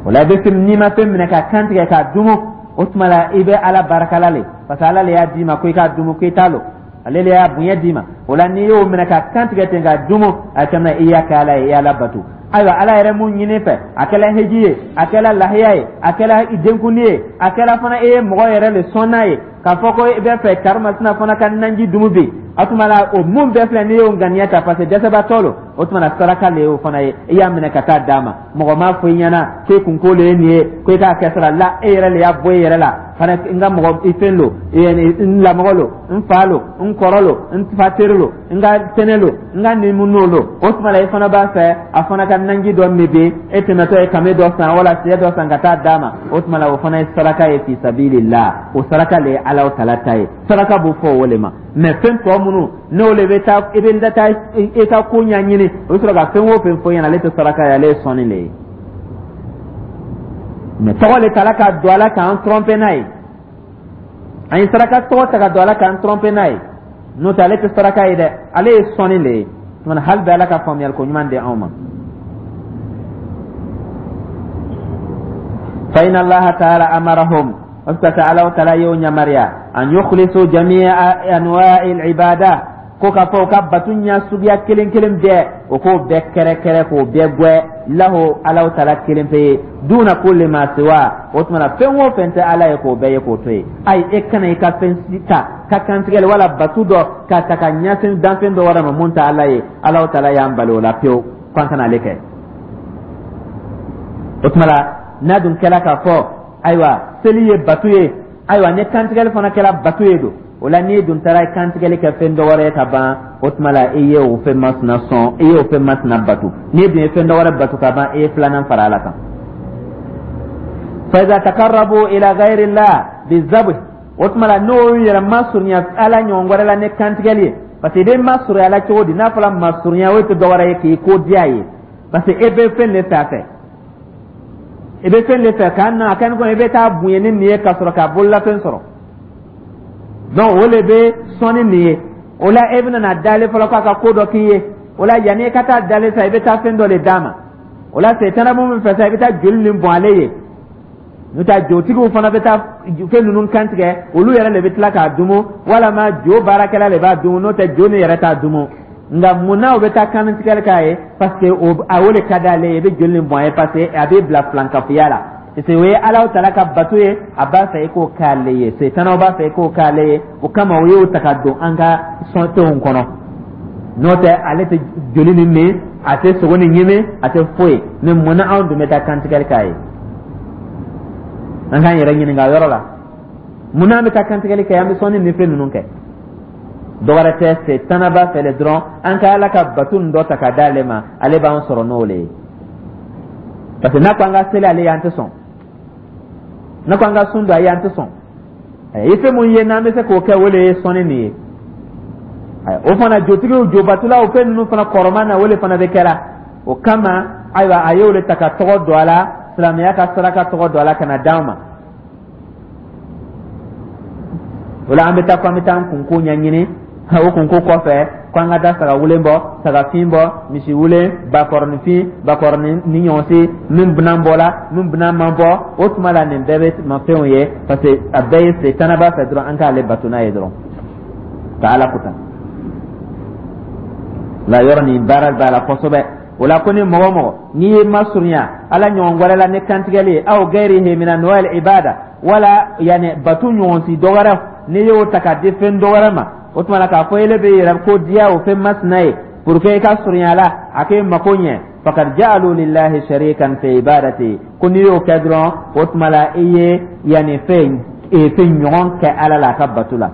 O la i bɛ fɛn nimafɛn minɛ ka kantigɛ k'a dumu, o tuma la i bɛ Ala barakala le, parce que Ala le y'a d'i ma ko i k'a dumu, ko i t'a lɔ, ale le y'a bonya d'i ma. O la n'i y'o minɛ ka kantigɛ ten k'a dumu, a kɛmɛ i y'a kɛ Ala ye, i y'Ala bato. Ayiwa, Ala yɛrɛ mun ɲini fɛ, a kɛla heji ye, a kɛla lahiya ye, a kɛla denkundi ye, a kɛla fana e ye mɔgɔ yɛrɛ le sɔn n'a ye k'a fɔ ko i bɛ fɛ karimasina fana ka nanji dumu bi, o tuma la o mun bɛɛ filɛ, n'i y'o ŋaniya ta parce que dɛsɛbaatɔ lo, o tuma la saraka le y'o fana ye, i y'a minɛ ka taa d'a ma. Mɔgɔ m'a fɔ i ɲɛna k'e kunko le ye nin ye, ko i k'a kɛ sara la, e yɛrɛ le y'a bɔ i yɛrɛ la fana. N ka mɔgɔ i fɛn lo, n lamɔgɔ lo, n fa lo, n kɔrɔ lo, n fa teri lo, n ka tɛnɛ lo, n ka nimu lo, o tuma la i fana b'a fɛ a fana ka nanji dɔ min bi, e tɛmɛtɔ ye kame dɔ san wala sɛ dɔ san ka taa d'a ma, o tuma la o fana ye saraka ye fi sabilillah. O saraka le ye. Ala tala ta ye. Saraka b'o fɔ o le ma. Mais fɛn tɔ minnu n'o le bɛ taa, i bɛ taa i ka ko ɲɛɲini, o bɛ sɔrɔ ka fɛn o fɛn fɔ ɲɛna, ale tɛ saraka ye, ale ye sɔnni le ye. Mais tɔgɔ le tala ka don a la k'an tromper n'a ye. An ye saraka tɔgɔ ta ka don a la k'an tromper n'a ye. N'o tɛ, ale tɛ saraka ye dɛ, ale ye sɔnni le ye. Tuma hali bɛ Ala ka faamuyali ko ɲuman di anw ma. Fa inna Allaha ta'ala amarahum, o Ala ta'ala y'o yamaruya, an yukhlisu jami'a anwa'il ibada, ko k'a fɔ u ka batu ɲa suguya kelen kelen bɛɛ, o k'o bɛɛ kɛrɛkɛrɛ k'o bɛɛ gwɛ lahu, Ala ta'ala kelen pe ye, duna kulli ma siwa. O tuma na, fɛn o fɛn tɛ Ala ye, k'o bɛɛ ye k'o to yen. Ayi, e kana i ka fɛn si ta ka kantigɛli wala batu dɔ ka ta ka ɲɛsin danfɛn dɔ wɛrɛ ma mun tɛ Ala ye. Ala ta'ala y'an bali o la pewu, k'an kana ale kɛ. O tuma la, n'a dun kɛla k'a fɔ ayiwa seli ye batu ye, ayiwa ni kantigɛli fana kɛra batu ye don o la, n'i dun taara kantigɛli kɛ fɛn dɔ wɛrɛ ye ka ban, o tuma la i ye o fɛn masina sɔn, i ye o fɛn masina batu. N'i dun ye fɛn dɔ wɛrɛ batu ka ban, i ye filanan fara Ala kan. Fa iza taqarrabu ila ghayri llah bizabh, o tuma la n'o yɛrɛ masurunya Ala ɲɔgɔn wɛrɛ la ni kantigɛli ye, parce que i bɛ masurunya la cogo di? N'a fɔra masurunya, o tɛ dɔ wɛrɛ ye k'i ko diya ye, parce que e bɛ fɛn de fɛ a fɛ, i bɛ fɛn de fɛ k'a na a kɛ ni kɔni i bɛ taa bonya ni nin ye ka sɔrɔ k'a bololafɛn sɔrɔ. Donc o le bɛ sɔnni nin ye. O la e bɛna na dalen fɔlɔ k'a ka ko dɔ k'i ye. O la yanni i ka taa dalen sa, i bɛ taa fɛn dɔ de d'a ma. O la setana mun fɛ sa, i bɛ taa joli nin bɔn ale ye. N'o tɛ, jotigiw fana bɛ taa fɛn ninnu kantigɛ, olu yɛrɛ de bɛ tila k'a dumu, walama jo baarakɛla de b'a dumu. N'o tɛ, jo ni yɛrɛ t'a dumu. Nka mun na o bɛ taa kantigɛli k'a ye? Parce que o a o de ka d'ale ye. I bɛ joli nin bɔn a ye parce que a bɛ bila filankafoya la, parce que o ye Ala tala ka bato ye. A b'a fɛ i k'o k'ale ye, setanaw b'a fɛ i k'o k'ale ye. O kama o y'o ta ka don an ka sɔntenw kɔnɔ. N'o tɛ, ale tɛ joli nin min, a tɛ sogo nin ɲimi, a tɛ foyi. Mais mun na anw dun bɛ taa kantigɛli k'a ye? An k'an yɛrɛ ɲininka o yɔrɔ la. Mun na an bɛ taa kantigɛli kɛ, an bɛ sɔnni ni fɛn ninnu kɛ? Dɔwɛrɛ tɛ, setana b'a fɛ le dɔrɔn an ka Ala ka bato nin dɔ ta ka d'ale ma, ale b'an sɔrɔ n'o le ye. Parce que n'a ko an ka seli ale ye, an tɛ sɔn. N'a ko an ka sun don a ye, an tɛ sɔn. I fɛn mun ye n'an bɛ se k'o kɛ, o le ye sɔnni nin ye. O fana jotigiw, jobatulaw, fɛn ninnu fana kɔrɔman na, o le fana bɛ kɛra. O kama ayiwa a y'o le ta ka tɔgɔ don a la, silamɛya ka saraka tɔgɔ don a la ka na d'an ma. O la an bɛ taa ko an bɛ taa an kunko ɲɛɲini. O kunko kɔfɛ, ko an ka taa saga wulen bɔ, saga fin bɔ, misi wulen, bakɔrɔnin fin, bakɔrɔnin ni ɲɔgɔn se, min bɛna bɔ la, min bɛna man bɔ. O tuma la nin bɛɛ bɛ mafɛnw ye, parce que a bɛɛ ye setana b'a fɛ dɔrɔn an k'ale bato n'a ye dɔrɔn ka Ala kuta la. Yɔrɔ nin baara b'a la kosɛbɛ. O la ko ni mɔgɔ mɔgɔ n'i ye masurunya Ala ɲɔgɔn wɛrɛ la ni kantigɛli ye, aw gayrihi min anwa'il ibada, wala yani batu ɲɔgɔn si dɔ wɛrɛ, n'i y'o ta ka di fɛn dɔ wɛrɛ ma, o tuma la k'a fɔ ele bɛ yɛrɛ ko diya o fɛn masina ye pour que i ka surunya la, a k'e mako ɲɛ, faqad ja'alu lillahi sharikan fi ibadati, ko n'i y'o kɛ dɔrɔn, o tuma la i ye yani fɛn ɲɔgɔn kɛ Ala la a ka batu la.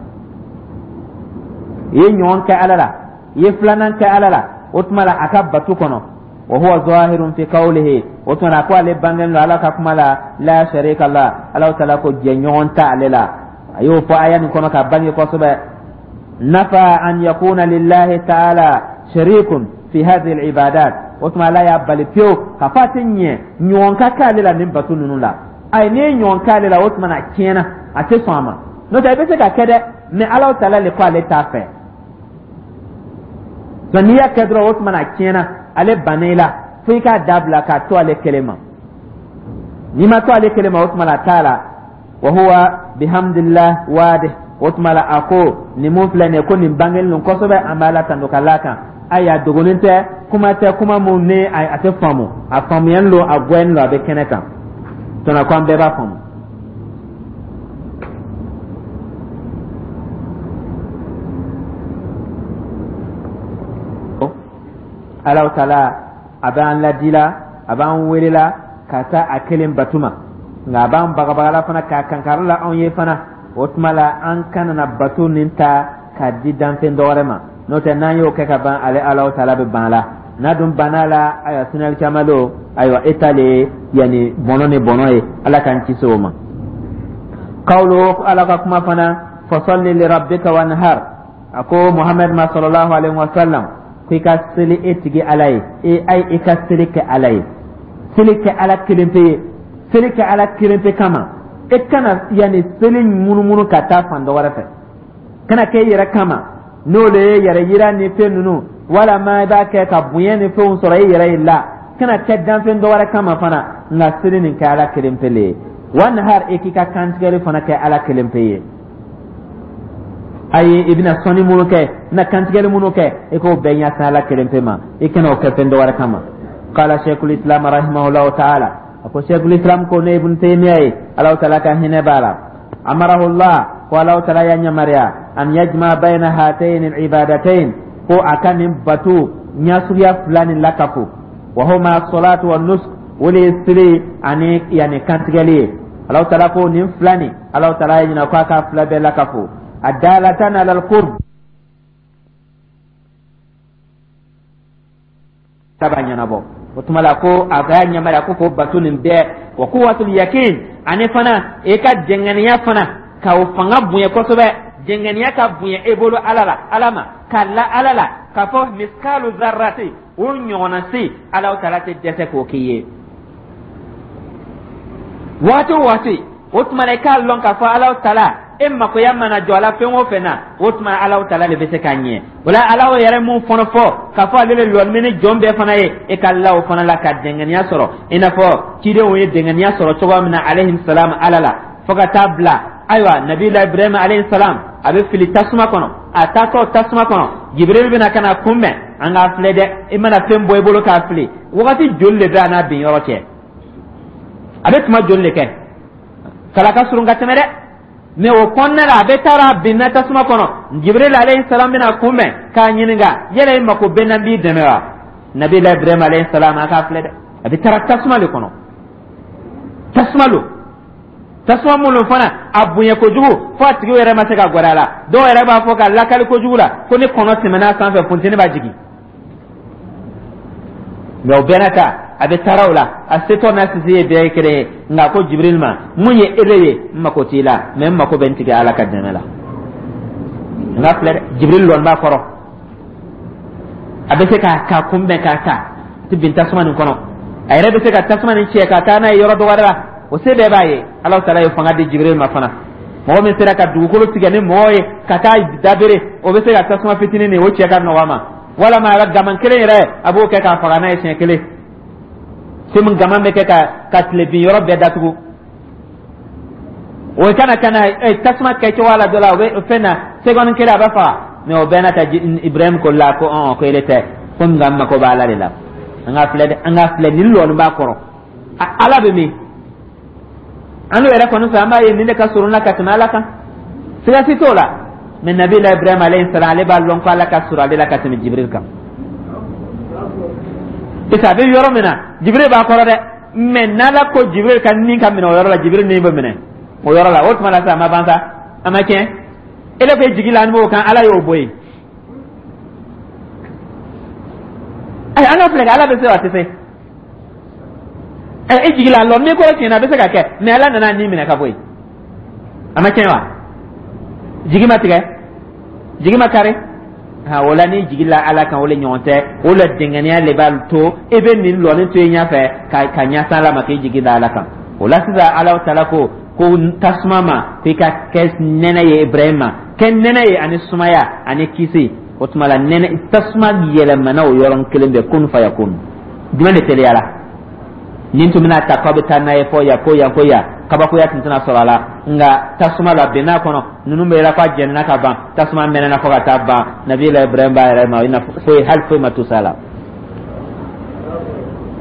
I ye ɲɔgɔn kɛ Ala la, i ye filanan kɛ Ala la, o tuma la a ka batu kɔnɔ. Wa huwa zahirun fi qawlihi, o tuma la ko ale bangenen don Ala ka kuma la, la sharika la, Ala taala ko jɛɲɔgɔn tɛ ale la. A y'o fɔ aya nin kɔnɔ ka bange kosɛbɛ. Nafa an yakuna lillahi ta'ala sharikun fi hadhihi al-ibadat, o tuma Ala y'a bali pewu k'a fɔ a tɛ ɲɛ ɲɔgɔn ka k'ale la nin batu ninnu la. Ayi, n'i ye ɲɔgɔn k'ale la, o tuma na a tiɲɛna, a tɛ sɔn a ma. N'o tɛ, i bɛ se ka kɛ dɛ, mais Ala taala le ko ale t'a fɛ. Donc n'i y'a kɛ dɔrɔn, o tuma na a tiɲɛna, ale banna i la, fo i k'a dabila k'a to ale kelen ma. N'i ma to ale kelen ma, o tuma na a t'a la. Wa huwa bihamdillah wadih, o tuma la a ko nin mun filɛ nin ye, ko nin bangelen don kosɛbɛ, an b'a la tando ka l'a kan. Ayi, a dogolen tɛ, kuma tɛ kuma mun ni a tɛ faamu, a faamuyalen don, a gwɛnnen don, a bɛ kɛnɛ kan tɔnɔ ko an bɛɛ b'a faamu. Alahu taala a b'an ladila, a b'an welela ka taa a kelen batu ma, nka a b'an bagabagala fana k'a kankari la anw ye fana. O tuma la an kana na bato nin ta k'a di danfɛn dɔ wɛrɛ ma. N'o tɛ, n'an y'o kɛ ka ban, ale Alahu taala bɛ ban a la. N'a dun banna a la, ayiwa sinali caman don, ayiwa e ta le ye yanni bɔnɔ ni bɔnɔ ye. Ala k'an kisi o ma. Kawlo, Ala ka kuma fana. Fasalli li rabbika wanhar. A ko Muhammad ma, sallallahu alaihi wasallam, ko i ka seli e tigi Ala ye. E ay, i ka seli kɛ Ala ye, seli kɛ Ala kelen pe ye, seli kɛ Ala kelen pe kama. E kana yanni seli munumunu ka taa fan dɔ wɛrɛ fɛ, kana kɛ i yɛrɛ kama, n'o le ye yɛrɛ yira ni fɛn ninnu, walama i b'a kɛ ka bonya ni fɛnw sɔrɔ i yɛrɛ ye la. Kana kɛ danfɛn dɔ wɛrɛ kama fana, nka seli nin kɛ Ala kelen pe le ye. Wanhar, e k'i ka kantigɛli fana kɛ Ala kelen pe ye. Ayi, i bɛna sɔnni minnu kɛ, i bɛna kantigɛli minnu kɛ, i k'o bɛɛ ɲɛsin Ala kelen pe ma, i kana o kɛ fɛn dɔ wɛrɛ kama. Qala sheikhul islam rahimahullahu ta'ala, a ko sheikhul islam ko, ne Ibn Taymiya ye, Alahu Taala ka hinɛ b'a la, amarahullah, ko Alahu Taala y'a yamaruya, an yajma bayna hatayn al-ibadatayn, ko a ka nin bato ɲɛsuguya fila nin lakafo, wa huma salatu wa nusuk, o de ye seli ani yanni kantigɛli ye. Alahu Taala ko nin fila nin, Alahu Taala y'a ɲininka ko a ka fila bɛɛ lakafo, adalatan ala alqurb saba ɲɛnabɔ. O tuma la, ko a ka yamaruya ko k'o bato nin bɛɛ, wa quwwatul yakin, ani fana e ka dɛngɛniya fana ka o fanga bonya kosɛbɛ, dɛngɛniya ka bonya e bolo Ala la, Ala ma ka la Ala la, k'a fɔ miskalu zarrati, o ɲɔgɔnna si, Alahu Taala tɛ dɛsɛ k'o k'i ye waati o waati. O tuma na, i k'a lɔn k'a fɔ Alahu Taala e makoya mana jɔ a la fɛn o fɛn na, o tuma Alahu Taala de bɛ se k'a ɲɛ. O la, Ala yɛrɛ mun fana fɔ k'a fɔ ale bɛ lɔnni ni jɔn bɛɛ fana ye, e ka la o fana la ka dɛngɛniya sɔrɔ, i n'a fɔ cidenw ye dɛngɛniya sɔrɔ cogoya min na, alayhi salam, Ala la, fo ka taa bila ayiwa nabila Ibrahima alayhi salam, a bɛ fili tasuma kɔnɔ. A taatɔ tasuma kɔnɔ, Jibril bɛna ka na kunbɛn. An k'a filɛ dɛ, i mana fɛn bɔ i bolo k'a fili, wagati joli de bɛ a n'a bin yɔrɔ cɛ? A bɛ tuma joli de kɛ? Kala ka surun ka tɛmɛ dɛ. Mɛ o kɔnɔna la, a bɛ taara binna tasuma kɔnɔ, Jibril alayhi salam bɛna kunbɛn k'a ɲininka: yala i mako bɛ n na, n b'i dɛmɛ wa? Nabila Ibrahim alayhi salam, a k'a filɛ dɛ, a bɛ taara tasuma de kɔnɔ, tasuma lo, tasuma minnu fana a bonya kojugu fo a tigi yɛrɛ ma se ka gɛrɛ a la. Dɔw yɛrɛ b'a fɔ ka lakali kojugu la ko ni kɔnɔ tɛmɛna sanfɛ, funteni b'a jigin. Mɛ o bɛɛ n'a ta, a bɛ taara o la, a setɔ n'a sisi ye bɛɛ ye kelen ye. Nka ko Jibril ma: mun ye ele ye? N mako t'i la, mɛ n mako bɛ n tigi Ala ka dɛmɛ la. N ka filɛ dɛ, Jibril lɔn b'a kɔrɔ, a bɛ se k'a kunbɛn k'a ta ti bin tasuma nin kɔnɔ, a yɛrɛ bɛ se ka tasuma nin cɛ ka taa n'a ye yɔrɔ dɔ wɛrɛ la, o se bɛɛ b'a ye. Ala Taala ye fanga di Jibril ma fana. Mɔgɔ min sera ka dugukolo tigɛ ni mɔgɔ ye ka taa dabere, o bɛ se ka tasuma fitinin nin o cɛ ka nɔgɔ a ma, walama a ka gaman kelen yɛrɛ, a b'o kɛ k'a faga n'a ye siɲɛ kelen. Komi gaman bɛ kɛ ka tilebin yɔrɔ bɛɛ datugu, o kana ka na tasuma kɛ cogoya la dɔ la, o bɛ fɛn na seconde kelen, a bɛ faga. Mɛ o bɛɛ n'a ta, Ibrahim ko la ko ɔn, ko ele tɛ ko, nka n mako b'a Ala de la. An ka filɛ dɛ, an ka filɛ, nin lɔɔni b'a kɔrɔ, Ala bɛ min an n'o yɛrɛ kɔni fɛ, an b'a ye nin de ka surun na ka tɛmɛ Ala kan, siga si t'o la. Mɛ nabila Ibrahim alayhi salam, ale b'a lɔn ko Ala ka surun ale la ka tɛmɛ Jibril kan, parce que a bɛ yɔrɔ min na, Jibril b'a kɔrɔ dɛ. Mɛ n'Ala ko Jibril ka nin ka minɛ o yɔrɔ la, Jibril nin bɛ minɛ o yɔrɔ la. O tuma la sa, a ma ban sa, a ma tiɲɛ. Ele ko jigi la an b'o kan, Ala y'o bɔ yen. Ayi, an ka filɛ kɛ, Ala bɛ se wa, a tɛ se? Ɛ, e jigi la lɔ min kɔrɔ tiɲɛna, a bɛ se ka kɛ, mɛ Ala nana nin minɛ ka bɔ yen, a ma tiɲɛ wa? Jigi ma tigɛ, jigi ma kari. Ha, o la n'i jigi la Ala kan, o le ɲɔgɔn tɛ. O la dɛngɛniya le b'a to i bɛ nin lɔni to i ɲɛfɛ ka ɲɛsin Ala ma, k'i jigi da Ala kan. O la sisan, Ala Taala ko tasuma ma ko i ka kɛ nɛnɛ ye Ibrahima ma, kɛ nɛnɛ ye ani sumaya ani kisi. O tuma la, nɛnɛ tasuma yɛlɛmana o yɔrɔnin kelen bɛɛ, kun fayakun. Jumɛn de teliyara? Nin tun bɛna ta k'aw bɛ taa n'a ye fɔ yan, ko yan, ko yan, kabakoya tun tɛna sɔrɔ a la. Nka tasuma la bɛn'a kɔnɔ, ninnu bɛ yɛlɛ k'a jɛnina ka ban, tasuma mɛnɛna fo ka taa ban. Nabila Ibrahim b'a yɛrɛ ma i n'a fɔ foyi, hali foyi ma tusa la.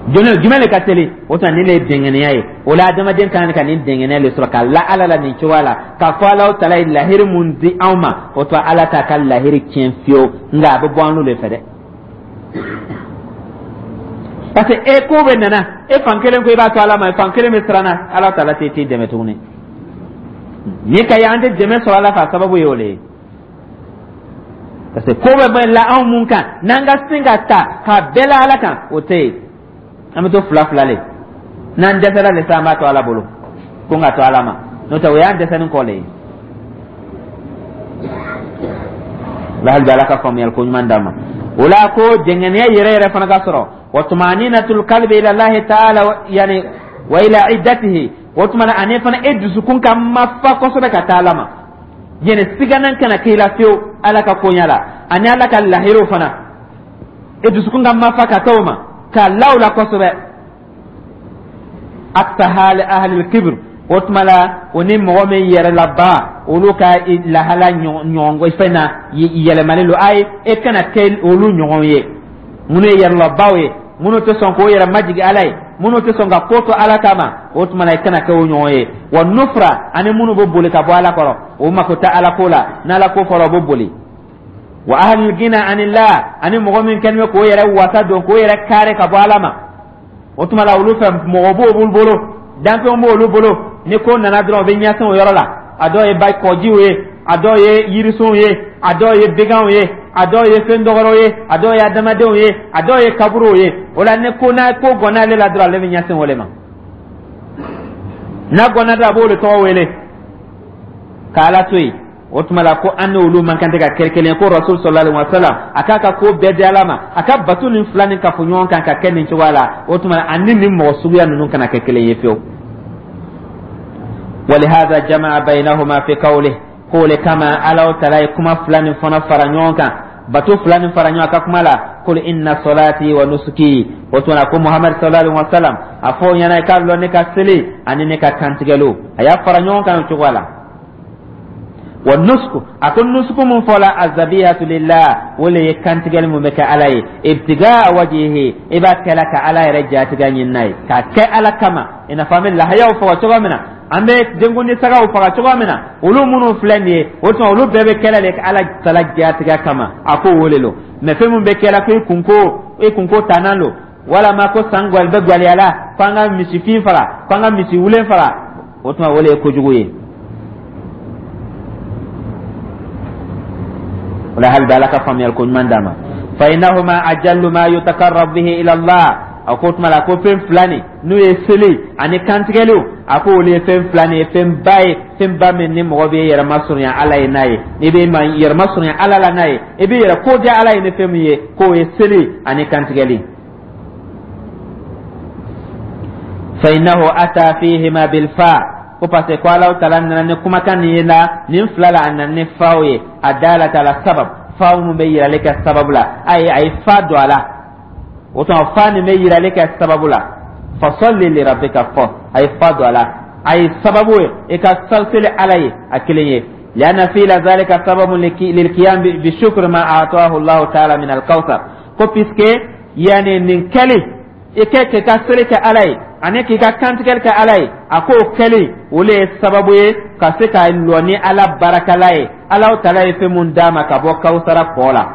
Jumɛn de ka teli? O tuma, nin de ye dɛngɛnɛya ye. O la, adamaden kan ka nin dɛngɛnɛya de sɔrɔ ka la Ala la nin cogoya la, k'a fɔ Ala Taala ye lahiri mun di anw ma, o tuma Ala t'a ka lahiri tiɲɛ fiyewu. Nka a bɛ bɔ an n'o de fɛ dɛ, parce que e ko bɛ nana e fan kelen ko i b'a to Ala ma, fan kelen bɛ siran na, Ala Taala tɛ t'i dɛmɛ tuguni. Ni ka ye an tɛ dɛmɛ sɔrɔ Ala fɛ, a sababu ye o de ye, parce que ko bɛ bɛ la anw mun kan, n'an ka sin ka ta k'a bɛɛ la Ala kan, o tɛ yen. An bɛ to fila fila le, n'an dɛsɛra le sa, an b'a to Ala bolo ko n ka to Ala ma, n'o tɛ o y'an dɛsɛni kɔ le ye. La hali bi Ala ka faamuyali ko ɲuman d'an ma. O la ko jɛngɛniya yɛrɛ yɛrɛ fana ka sɔrɔ, wa tumaninatul qalbi ila Allahi ta'ala, yani wa ila iddatihi. O tuma na ani fana e dusukun ka mafa kosɛbɛ ka taa Ala ma, yani siganan kana k'i la fiyewu Ala ka koɲa la ani Ala ka lahiriw fana. E dusukun ka mafa ka taa o ma ka la o la kosɛbɛ. Aksa hali ahlil kibr, o tuma la o ni mɔgɔ min yɛrɛlaba, olu ka lahala ɲɔgɔn fɛn na yɛlɛmalen don. Ayi, e kana kɛ olu ɲɔgɔn ye, minnu ye yɛrɛlabaw ye, minnu tɛ sɔn k'o yɛrɛ majigi Ala ye, minnu tɛ sɔn ka ko to Ala kama. O tuma la i kana kɛ o ɲɔgɔn ye. Wa nufra, ani minnu bɛ boli ka bɔ Ala kɔrɔ, o mako tɛ Ala ko la, n'Ala ko fɔra, o bɛ boli. Wa ahlul gina anillah, ani mɔgɔ min kɛlen bɛ k'o yɛrɛ wasa don, k'o yɛrɛ kare ka bɔ Ala ma. O tuma la olu fɛ, mɔgɔ b'olu bolo, danfɛnw b'olu bolo, ni ko nana dɔrɔn, u bɛ ɲɛsin o yɔrɔ la. A dɔw ye ba kɔjiw ye, a dɔw ye yirisunw ye, a dɔw ye beganw ye, a dɔw ye fɛn dɔgɔrɔw ye, a dɔw ye adamadenw ye, a dɔw ye kaburuw ye. O la ni ko n'a ko gɔnna ale la dɔrɔn, ale bɛ ɲɛsin o de ma. N'a gɔnna dɔrɔn, a b'o de tɔgɔ wele k'Ala to yen. O tuma la ko an n'olu man kan tɛ ka kɛ kelen ye. Ko Rasul sallallahu alaihi wa sallam, a k'a ka ko bɛɛ di Ala ma, a ka bato nin fila nin kafo ɲɔgɔn kan ka kɛ nin cogoya la. O tuma ani nin mɔgɔ suguya ninnu kana kɛ kelen ye fiyewu. Walihada jama'a bainahuma fi qawlihi, k'o le kama Ala tala ye kuma fila nin fana fara ɲɔgɔn kan, bato fila nin fara ɲɔgɔn kan kuma la: qul inna salati wa nusuki. O tuma ko Muhammad sallallahu alaihi wa sallam, a fɔ o ɲɛna k'a lɔn ne ka seli ani ne ka kantigɛliw, a y'a fara ɲɔgɔn kan o cogoya la. Wa nusku, a ko nusuku mun fɔla, azabihatu lillah, o le ye kantigɛli mun bɛ kɛ Ala ye, ibtigaa wajihi, i b'a kɛla ka Ala yɛrɛ jatigɛ ɲini n'a ye, k'a kɛ Ala kama, i n'a fɔ an bɛ lahayaw faga cogo min na, an bɛ denkundi sagaw faga cogo min na, olu minnu filɛ nin ye. O tuma olu bɛɛ bɛ kɛlɛ de Ala tala jatigɛ kama. A ko o le lo mɛ fɛn min bɛ kɛla ko i kunko tanan lo, walama ko san gwali bɛ gwaliyala ko an ka misifin faga, ko an ka misi wulen faga, o tuma o le ye kojugu ye. O la hali bi Ala ka faamuyali ko ɲuman d'a ma. Fa innahuma ajallu ma yutakarrab bihi ila Allah. A ko tuma la ko fɛn fila nin, n'o ye seli ani kantigɛliw, a ko olu ye fɛn fila nin ye, fɛn ba ye, fɛn ba min ni mɔgɔ bɛ yɛrɛ masurunya Ala ye n'a ye, n'i bɛ yɛrɛ masurunya Ala la n'a ye, i bɛ yɛrɛ ko diya Ala ye ni fɛn min ye, k'o ye seli ani kantigɛli. Fa innahu ata fihima bilfa, ko parce que ko Ala tala nana ni kumakan nin ye la nin fila la, a nana ni faw ye, a dalata ala sabab, faw mun bɛ yirali kɛ sababu la. Ayi, a ye fa don a la. O tuma fa nin bɛ yirali kɛ sababu la. Fasalli li rabbika, fɔ a ye fa don a la, a ye sababu ye i ka seli Ala ye a kelen ye. Lianna fi'la zalika sababun lilqiyam bi shukri ma a'tahu Allah ta'ala min al-kawthar, ko puisque yani nin kɛli i kɛ k'i ka seli kɛ Ala ye ani k'i ka kantigɛli kɛ Ala ye, a k'o kɛli o le ye sababu ye ka se ka lɔ ni Ala barakala ye, Ala tala ye fɛn mun d'a ma ka bɔ kawusara kɔ la,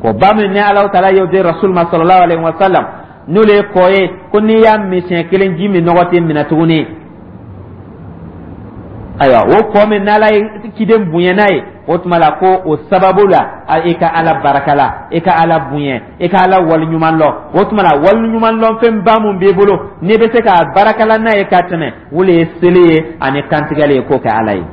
ko ba min ni Ala tala y'o di Rasul ma sallallahu alaihi wa sallam, n'o le ye kɔ ye ko n'i y'a min siɲɛ kelen, ji min nɔgɔ tɛ minɛ tuguni. Ayiwa, o kɔ min n'Ala ye ciden bonya n'a ye, o tuma la ko o sababu la i ka Ala barakala, i ka Ala bonya, i ka Ala waliɲuman lɔn. O tuma la waliɲuman lɔn fɛnba mun b'i bolo n'i bɛ se k'a barakala n'a ye ka tɛmɛ, o le ye seli ye ani kantigɛli ye, k'o kɛ Ala ye.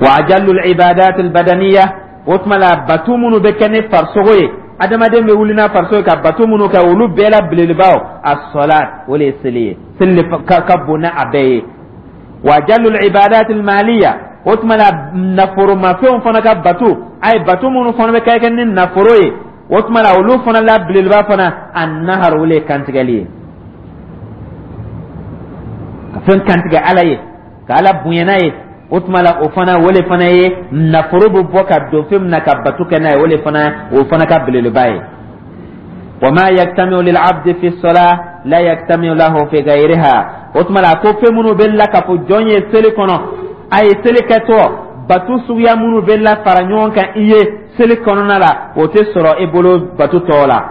Wa ajallu al-ibadat al-badaniya, o tuma la bato minnu bɛ kɛ ni farisogo ye, adamaden bɛ wuli n'a farisogo ye ka bato minnu kɛ, olu bɛɛ la belebelebaw, as-salat, o le ye seli ye, seli ka bon n'a bɛɛ ye. Wa ajallu al-ibadat al-maliya, o tuma la nafolomafɛnw fana ka bato, a ye bato minnu fana bɛ kɛ ni nafolo ye, o tuma la olu fana la belebeleba fana, an-nahar, o le ye kantigɛli ye, ka fɛn kantigɛ Ala ye, ka Ala bonya n'a ye. O tuma la o fana, o le fana ye nafolo bɛ bɔ ka don fɛn min na ka bato kɛ n'a ye, o le fana, o fana ka belebeleba ye. Wa ma yajtami'u lil abdi fi salah la yajtami'u lahu fi ghayriha, o tuma la ko fɛn minnu bɛ lakafo jɔn ye seli kɔnɔ, a ye seli kɛtɔ bato suguya minnu bɛ la fara ɲɔgɔn kan i ye seli kɔnɔna la, o tɛ sɔrɔ i bolo bato tɔw la.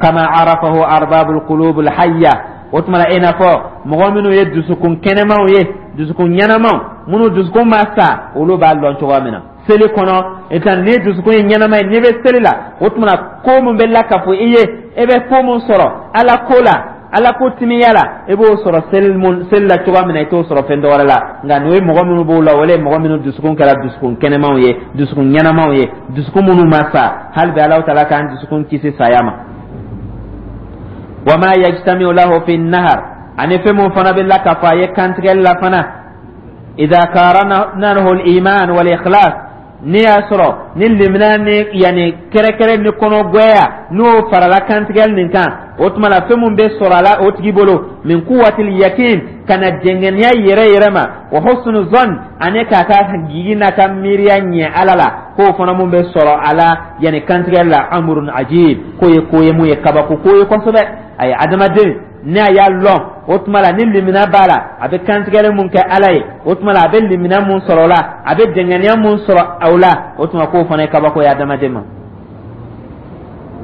Kama arafahu arbabul qulubul hayya, o tuma la i n'a fɔ mɔgɔ minnu ye dusukun kɛnɛmaw ye, dusukun ɲɛnamaw, minnu dusukun ma sa, olu b'a lɔn cogoya min na seli kɔnɔ. I ta ni dusukun ye ɲɛnama ye, n'i bɛ seli la, o tuma na ko min bɛ lakafo i ye, e bɛ ko min sɔrɔ Ala ko la. Ala ko timiya la, i b'o sɔrɔ seli mun, seli la cogoya min na, i t'o sɔrɔ fɛn dɔwɛrɛ la. Nka n'o ye mɔgɔ minnu b'o la, o ye mɔgɔ minnu dusukun kɛra dusukun kɛnɛmanw ye, dusukun ɲɛnamaw ye, dusukun minnu ma sa. Hali bi Alahu Taala k'an dusukun kisi saya ma. Wa ma yajtamiu lahu fi nahar, ani fɛn mun fana bɛ lakafo a ye kantigɛli la fana, idha qaranahu al-iman wal ikhlas, n'i y'a sɔrɔ ni limina ni yanni kɛrɛkɛrɛ ni kɔnɔgwɛya, n'o farala kantigɛli nin kan, o tuma la fɛn mun bɛ sɔrɔ a la o tigi bolo, min quwwatil yakin, ka na dɛngɛniya yɛrɛ yɛrɛ ma, wa husnu zan, ani k'a ka jigi n'a ka miiriya ɲɛ Ala la, k'o fana mun bɛ sɔrɔ a la yanni kantigɛli la, amrun ajib, k'o ye ko ye mun ye kabako ko ye kosɛbɛ. Ayi, adamaden ni a y'a lɔn, o tuma la ni limina b'a la, a bɛ kantigɛli mun kɛ Ala ye, o tuma la a bɛ limina mun sɔrɔ o la, a bɛ dɛngɛniya mun sɔrɔ o la, o tuma k'o fana ye kabako ye adamaden ma.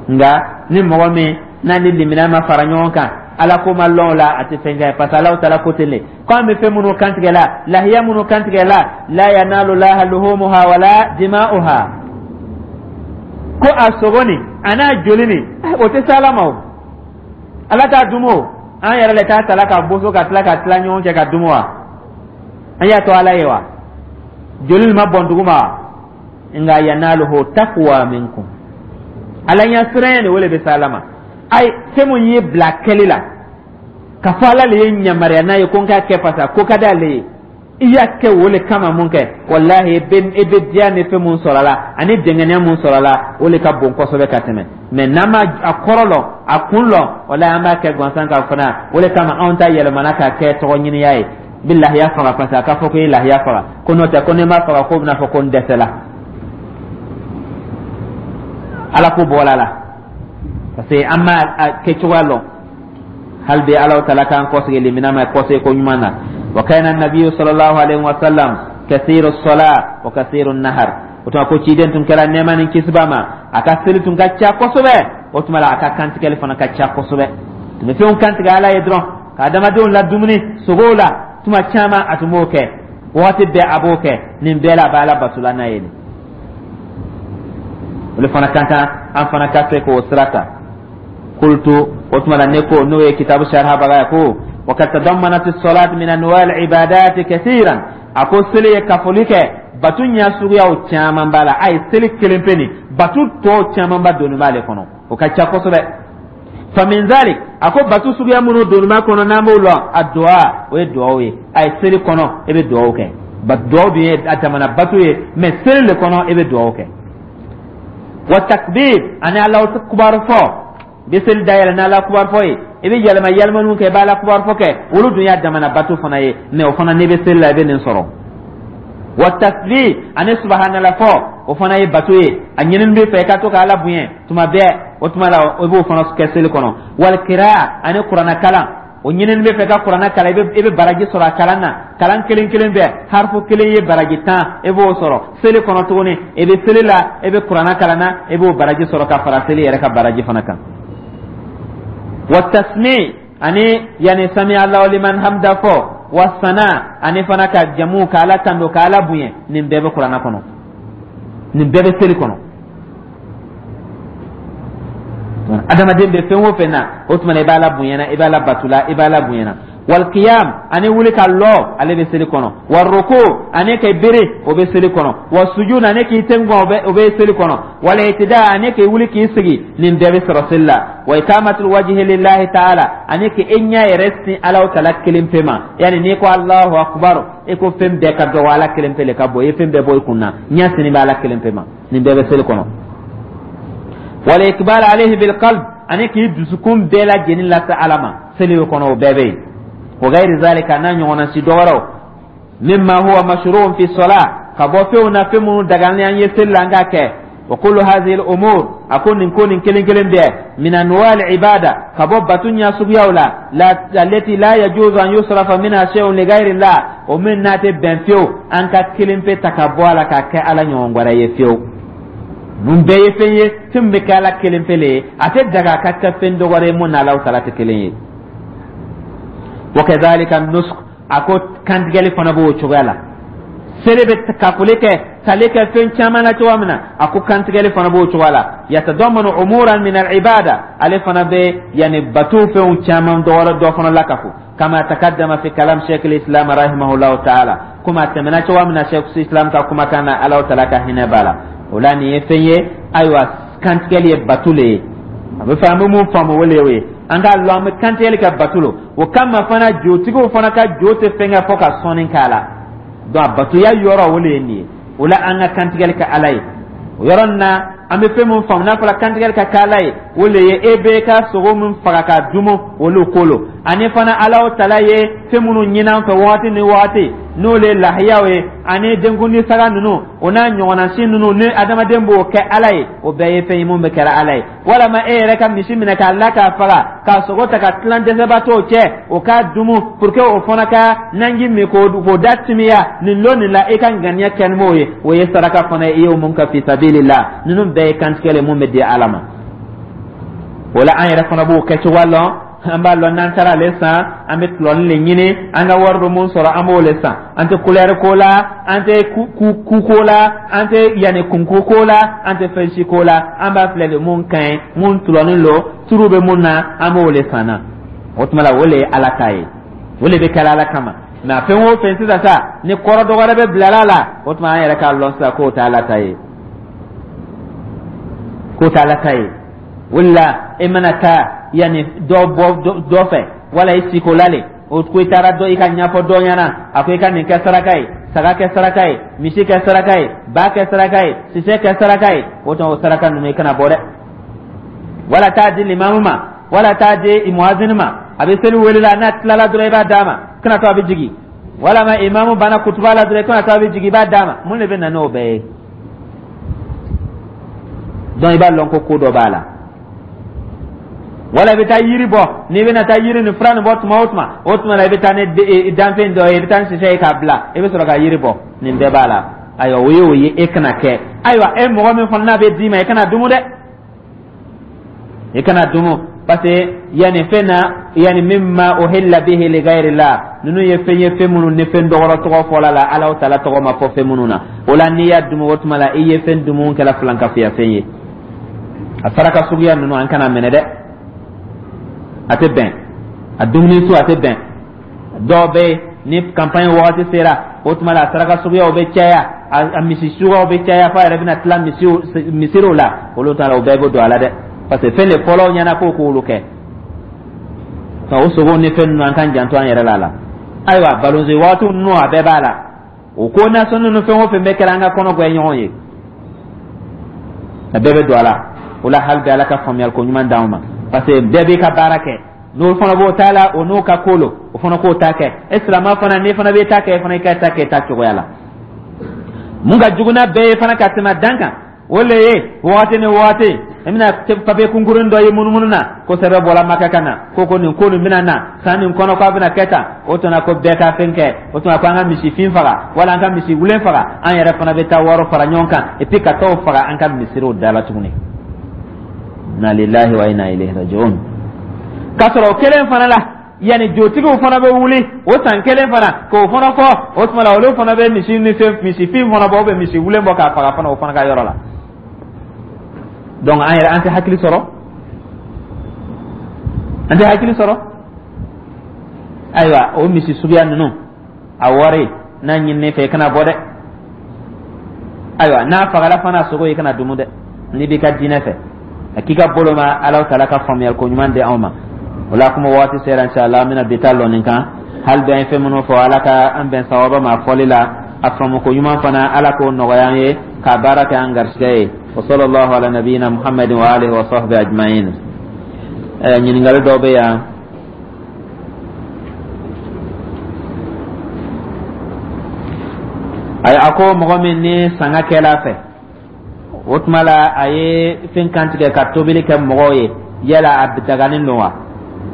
Nka ni mɔgɔ min n'a ni limina ma fara ɲɔgɔn kan, Ala ko ma lɔn o la, a tɛ fɛn kɛ, parce que Alahu Taala ko ten de ko an bɛ fɛn minnu kantigɛ la, lahiya minnu kantigɛ la, la yanalu laha luhumuha wala dima'uha, ko a sogo nin a n'a joli nin, o tɛ se Ala ma. O Ala t'a dumu, o an yɛrɛ de t'a tala ka boso ka tila ka tila ɲɔgɔn cɛ ka dumu wa? An y'a to Ala ye wa? Joli nin ma bɔn dugu ma wa? Nka yanaluhu taqwa minkum, Ala ɲɛ siranya de, o le bɛ se Ala ma. Ayi, fɛn mun y'i bila kɛli la ka fɔ Ala le ye yamaruya n'a ye ko n k'a kɛ, parce que ko ka d'ale ye, i y'a kɛ o le kama mun kɛ, walahi, i bɛ diya ni fɛn mun sɔrɔ a la ani dɛngɛniya mun sɔrɔ a la, o le ka bon kosɛbɛ ka tɛmɛ. Mɛ n'an ma a kɔrɔ lɔn, a kun lɔn, walahi, an b'a kɛ gansan ka fana. O le kama anw ta yɛlɛmana k'a kɛ tɔgɔ ɲiniya ye. N bɛ lahiya faga parce que a ka fɔ ko i ye lahiya faga, ko n'o tɛ ko n'i ma faga, k'o bɛna fɔ ko n dɛsɛla. Ala ko bɔla la, parce que an ma a kɛcogoya lɔn. Hali bi Ala Taala k'an kɔsegi limina ma kɔsegi ko ɲuman na. Wa kana nabiyu sallallahu alaihi wa sallam kathiru sala wa kathiru nahar. O tuma ko ciden tun kɛra, nɛɛma ni kisi b'a ma, a ka seli tun ka ca kosɛbɛ. O tuma la a ka kantigɛli fana ka ca kosɛbɛ. Tun bɛ fɛnw kantigɛ Ala ye dɔrɔn ka adamadenw la dumuni sogow la. Tuma caman a tun b'o kɛ, wagati bɛɛ a b'o kɛ. Nin bɛɛ la a bɛ Ala batola n'a ye. Nin o de fana ka kan an fana ka se k'o sira ta. Qultu, o tuma la ne ko, n'o ye kitabu sharhabaga ye, ko wa kad tadammanat as-salat min anwa' al-ibadat kathiran, a ko seli ye kafoli kɛ batu ɲɛ suguyaw caman b'a la. A ye seli kelen pe nin, batu tɔw caman ba donni b'ale kɔnɔ, o ka ca kosɛbɛ. Famin zalik, a ko batu suguya minnu donni b'a kɔnɔ n'an b'o lɔn, a duwa, o ye duwawu ye. A ye seli kɔnɔ e bɛ duwawu kɛ, duwawu dun ye a jamana batu ye, mɛ seli le kɔnɔ e bɛ duwawu kɛ. Wa takbir, ani Alahu kubaru fɔ, i bɛ seli dayɛlɛ n'Ala kubaru fɔ ye, i bɛ yɛlɛma yɛlɛmaniw kɛ, i bɛ Ala kubaru fɔ kɛ, olu dun y'a damana bato fana ye, mɛ o fana n'i bɛ seli la i bɛ nin sɔrɔ. Wa tasbih, ani subhanallah fɔ, o fana ye bato ye. A ɲinini bɛ fɛ i ka to ka Ala bonya tuma bɛɛ, o tuma la i b'o fana kɛ seli kɔnɔ. Wal kiraa, ani kuranɛ kalan, o ɲinini bɛ fɛ ka kuranɛ kalan, i bɛ baraji sɔrɔ a kalan na. Kalan kelen kelen bɛɛ, harifu kelen ye baraji 10, i b'o sɔrɔ seli kɔnɔ tuguni. I bɛ seli la, i bɛ kuranɛ kalan na, i b'o baraji sɔrɔ ka fara seli yɛrɛ ka baraji fana kan. Wa tasmi, ani yani sami Allahu liman hamda fɔ, wa sana, ani fana ka jamu ka Ala tando, ka Ala bonya, nin bɛɛ bɛ kuranɛ kɔnɔ, nin bɛɛ bɛ seli kɔnɔ. Adamaden bɛ fɛn o fɛn na, o tuma na i b'a la bonyana, i b'a la batula, i b'a la bonyana. Wal qiyam, ani wuli ka lɔ, ale bɛ seli kɔnɔ. Wa ruku, ani k'i bere, o bɛ seli kɔnɔ. Wa sujud, ani k'i ten o bɛ seli kɔnɔ. Wal itida, ani k'i wuli k'i sigi, nin bɛɛ bɛ sɔrɔ seli la. Wa ikamatul wajhi lillahi ta'ala, ani k'i ɲɛ yɛrɛ sin Alahu Taala kelen pe ma. Yani n'i ko Allahu akbar, i ko fɛn bɛɛ ka dɔgɔ, Ala kelen pe le ka bɔ, i ye fɛn bɛɛ bɔ i kun na, ɲɛ sini bɛ Ala kelen pe ma, nin bɛɛ bɛ seli kɔnɔ. Wal ikbal alayhi bil qalb, ani k'i dusukun bɛɛ lajɛlen lase Ala ma seli kɔnɔ, o bɛɛ bɛ yen. Wa gayri zalika, n'a ɲɔgɔnna si dɔ wɛrɛw, mimma huwa mashru'un fi salat, ka bɔ fɛnw na, fɛn minnu dagalen an ye seli la an k'a kɛ. Wa kullu hadhihi al-umur, a ko nin ko nin kelen kelen bɛɛ, min anwa' al-ibada, ka bɔ batu ɲɛ suguyaw la, la allati la yajuzu an yusrafa minha shay'un li ghayri Allah, o min n'a tɛ bɛn fiyewu an ka kelen pe ta ka bɔ a la k'a kɛ Ala ɲɔgɔn wɛrɛ ye fiyewu. Ninnu bɛɛ ye fɛn ye, fɛn min bɛ kɛ Ala kelen pe le ye, a tɛ daga a ka kɛ fɛn dɔ wɛrɛ ye mun n'Alahu Taala tɛ kelen ye. Wa kadhalika nusuk, a ko kantigɛli fana b'o cogoya la. Seli bɛ kafoli kɛ. tali kɛ fɛn caman na cogoya min na, a ko kantigɛli fana b'o cogoya la. Yatadamanu umuran min al-ibada, ale fana bɛ yani bato fɛnw caman dɔ wɛrɛ dɔ fana lakafo. Kama takaddama fi kalam sheikh al-islam rahimahullahu ta'ala, komi a tɛmɛna cogoya min na sheikh islam ka kumakan na, Alahu taala ka hinɛ b'a la. O la nin ye fɛn ye, ayiwa, kantigɛli ye bato le ye. A bɛ fɛ an bɛ mun faamu, o le ye o ye. An k'a lɔn an bɛ kantigɛli kɛ bato lo. O kama fana, jotigiw fana ka jo tɛ fɛn kɛ fo ka sɔnni k'a la. Donc a batoya yɔrɔ, o le ye nin ye. O la an ka kantigɛli kɛ Ala ye. O yɔrɔ nin na, an bɛ fɛn min faamu, n'a fɔra kantigɛli ka kɛ Ala ye, o le ye e bɛ ka sogo min faga k'a dumu, olu ko lo. Ani fana Alahu tala ye fɛn minnu ɲini an fɛ wagati ni wagati, n'o le ye lahiyaw ye ani denkundi saga ninnu, o n'a ɲɔgɔnna si ninnu, ni adamaden b'o kɛ Ala ye, o bɛɛ ye fɛn ye mun bɛ kɛra Ala ye. Walama e yɛrɛ ka misi minɛ k'a la k'a faga, k'a sogo ta ka tilan dɛsɛbaatɔw cɛ, o k'a dumu pour que o fana ka nanji min k'o da timiya nin lon nin la, e ka ŋaniya kɛ ni m'o ye, o ye saraka fana ye, i y'o mun kɛ fisabilila. Ninnu bɛɛ ye kantigɛ le mun bɛ di Ala ma. O la an yɛrɛ fana b'o kɛcogoya lɔn. An b'a lɔn n'an taara ale san, an bɛ tulɔni le ɲini, an ka wari bɛ mun sɔrɔ, an b'o le san. An tɛ kulɛri ko la, an tɛ ku ko la, an tɛ yanni kunko ko la, an tɛ fɛn si ko la. An b'a filɛ de mun ka ɲi, mun tulɔni lo, turu bɛ mun na, an b'o le san na. O tuma la, o le ye Ala ta ye, o le bɛ kɛla Ala kama. Mɛ a fɛn o fɛn sisan sa, ni kɔrɔ dɔ wɛrɛ bɛ bilala la, o tuma an yɛrɛ k'a lɔn sisan k'o tɛ Ala ta ye, k'o tɛ Ala ta ye. O de la e mana taa yanni dɔ bɔ dɔ fɛ, wala i siko la le, o ko i taara dɔ i ka ɲɛfɔ dɔ ɲɛna, a ko i ka nin kɛ saraka ye, saga kɛ saraka ye, misi kɛ saraka ye, ba kɛ saraka ye, sisɛ kɛ saraka ye, o tuma o saraka ninnu i kana bɔ dɛ. Wala taa di limamu ma, wala taa di muazini ma, a bɛ seli wele la, n'a tilala dɔrɔn i b'a d'a ma, kana to a bɛ jigin. Walama imamu banna kutuba la dɔrɔn, kana to a bɛ jigin, i b'a d'a ma. Mun de bɛ na n'o bɛɛ ye? Donc i b'a lɔn ko ko dɔ b'a la. Wala i bɛ taa yiri bɔ, n'i bɛna taa yiri ni fura nin bɔ tuma o tuma, o tuma la i bɛ taa ni danfɛn dɔ ye, i bɛ taa ni sisɛ ye k'a bila, i bɛ sɔrɔ ka yiri bɔ. Nin bɛɛ b'a la. Ayiwa, o ye o ye, e kana kɛ. Ayiwa, e mɔgɔ min fana n'a bɛ d'i ma, i kana dumu dɛ, i kana dumu, parce que yanni fɛn na yanni mimma uhilla bihi li ghayrillah, ninnu ye fɛn ye, fɛn minnu ni fɛn dɔgɔrɔ tɔgɔ fɔla la, Alahu taala tɔgɔ ma fɔ fɛn minnu na. O la n'i y'a dumu, o tuma la i ye fɛn dumu kɛla filankafoya fɛn ye. A saraka suguya ninnu, an kana minɛ dɛ, a tɛ bɛn. A dumuni su, a tɛ bɛn. Dɔw bɛ yen, ni campagne wagati sera, o tuma la a saraka suguyaw bɛ caya, a misi suguyaw bɛ caya, f'a yɛrɛ bɛna tila misiriw la. Olu ta la, o bɛɛ bɛ don a la dɛ, parce que fɛn de fɔlɔ ɲɛna ko k'olu kɛ nka o sogow ni fɛn ninnu, an k'an janto an yɛrɛ la la. Ayiwa, balonze waatiw ninnu, a bɛɛ b'a la. O ko nasɔn ninnu, fɛn o fɛn bɛ kɛra an ka kɔnɔ gɛn ɲɔgɔn ye, a bɛɛ bɛ don a la. O la hali bi, Ala ka faamuyali ko ɲuman d'anw ma, parce que bɛɛ b'i ka baara kɛ. N'o fana b'o ta la, o n'o ka ko lo, o fana k'o ta kɛ. E silama fana, n'i fana b'i ta kɛ, e fana i ka ta kɛ ta cogoya la. Mun ka jugu n'a bɛɛ ye fana ka tɛmɛ dan kan, o le ye wagati ni wagati i bɛna papiye kunkurunin dɔ ye munumunu na ko sɛbɛn bɔra Maka ka na ko nin ko nin bɛna na san nin kɔnɔ, k'a bɛna kɛ tan. O tuma ko bɛɛ ka fɛn kɛ, o tuma ko an ka misi fin faga wala an ka misi wulen faga, an yɛrɛ fana bɛ taa wari fara ɲɔgɔn kan et puis ka t'o faga an ka misiriw da la tuguni. Inna lillahi wa inna ilayhi raji'un. K'a sɔrɔ o kelen fana la, yanni jotigiw fana bɛ wuli o san kelen fana k'o fana fɔ, o tuma la olu fana bɛ misi ni fɛn misi fin fana bɔ, ou misi wulen bɔ k'a faga fana o fana ka yɔrɔ la. Donc an yɛrɛ, an tɛ hakili sɔrɔ, an tɛ hakili sɔrɔ. Ayiwa, o misi suguya ninnu, a wari n'a ɲininen fɛ, i kana bɔ dɛ. Ayiwa, n'a fagala fana, sogo i kana dumu dɛ, n'i b'i ka diinɛ fɛ. A k'i ka bolo ma, Ala taala ka faamuyali ko ɲuman di anw ma. O la kuma waati sera, inshallah an bɛna bi ta lɔ nin kan. Hali bi an ye fɛn minnu fɔ, Ala ka an bɛn sawaba ma fɔli la. A faamu ko ɲuman fana, Ala k'o nɔgɔya an ye k'a baara kɛ an garisɛgɛ ye. Wa sallallahu ala nabiyina Muhammadin wa alihi wa sahbihi ajma'in. Ɲininkali dɔw bɛ yan. Ayi, a ko mɔgɔ min ni sanga kɛla a fɛ, o tuma la a ye fɛn kantigɛ ka tobili kɛ mɔgɔw ye, yala a daganen don wa?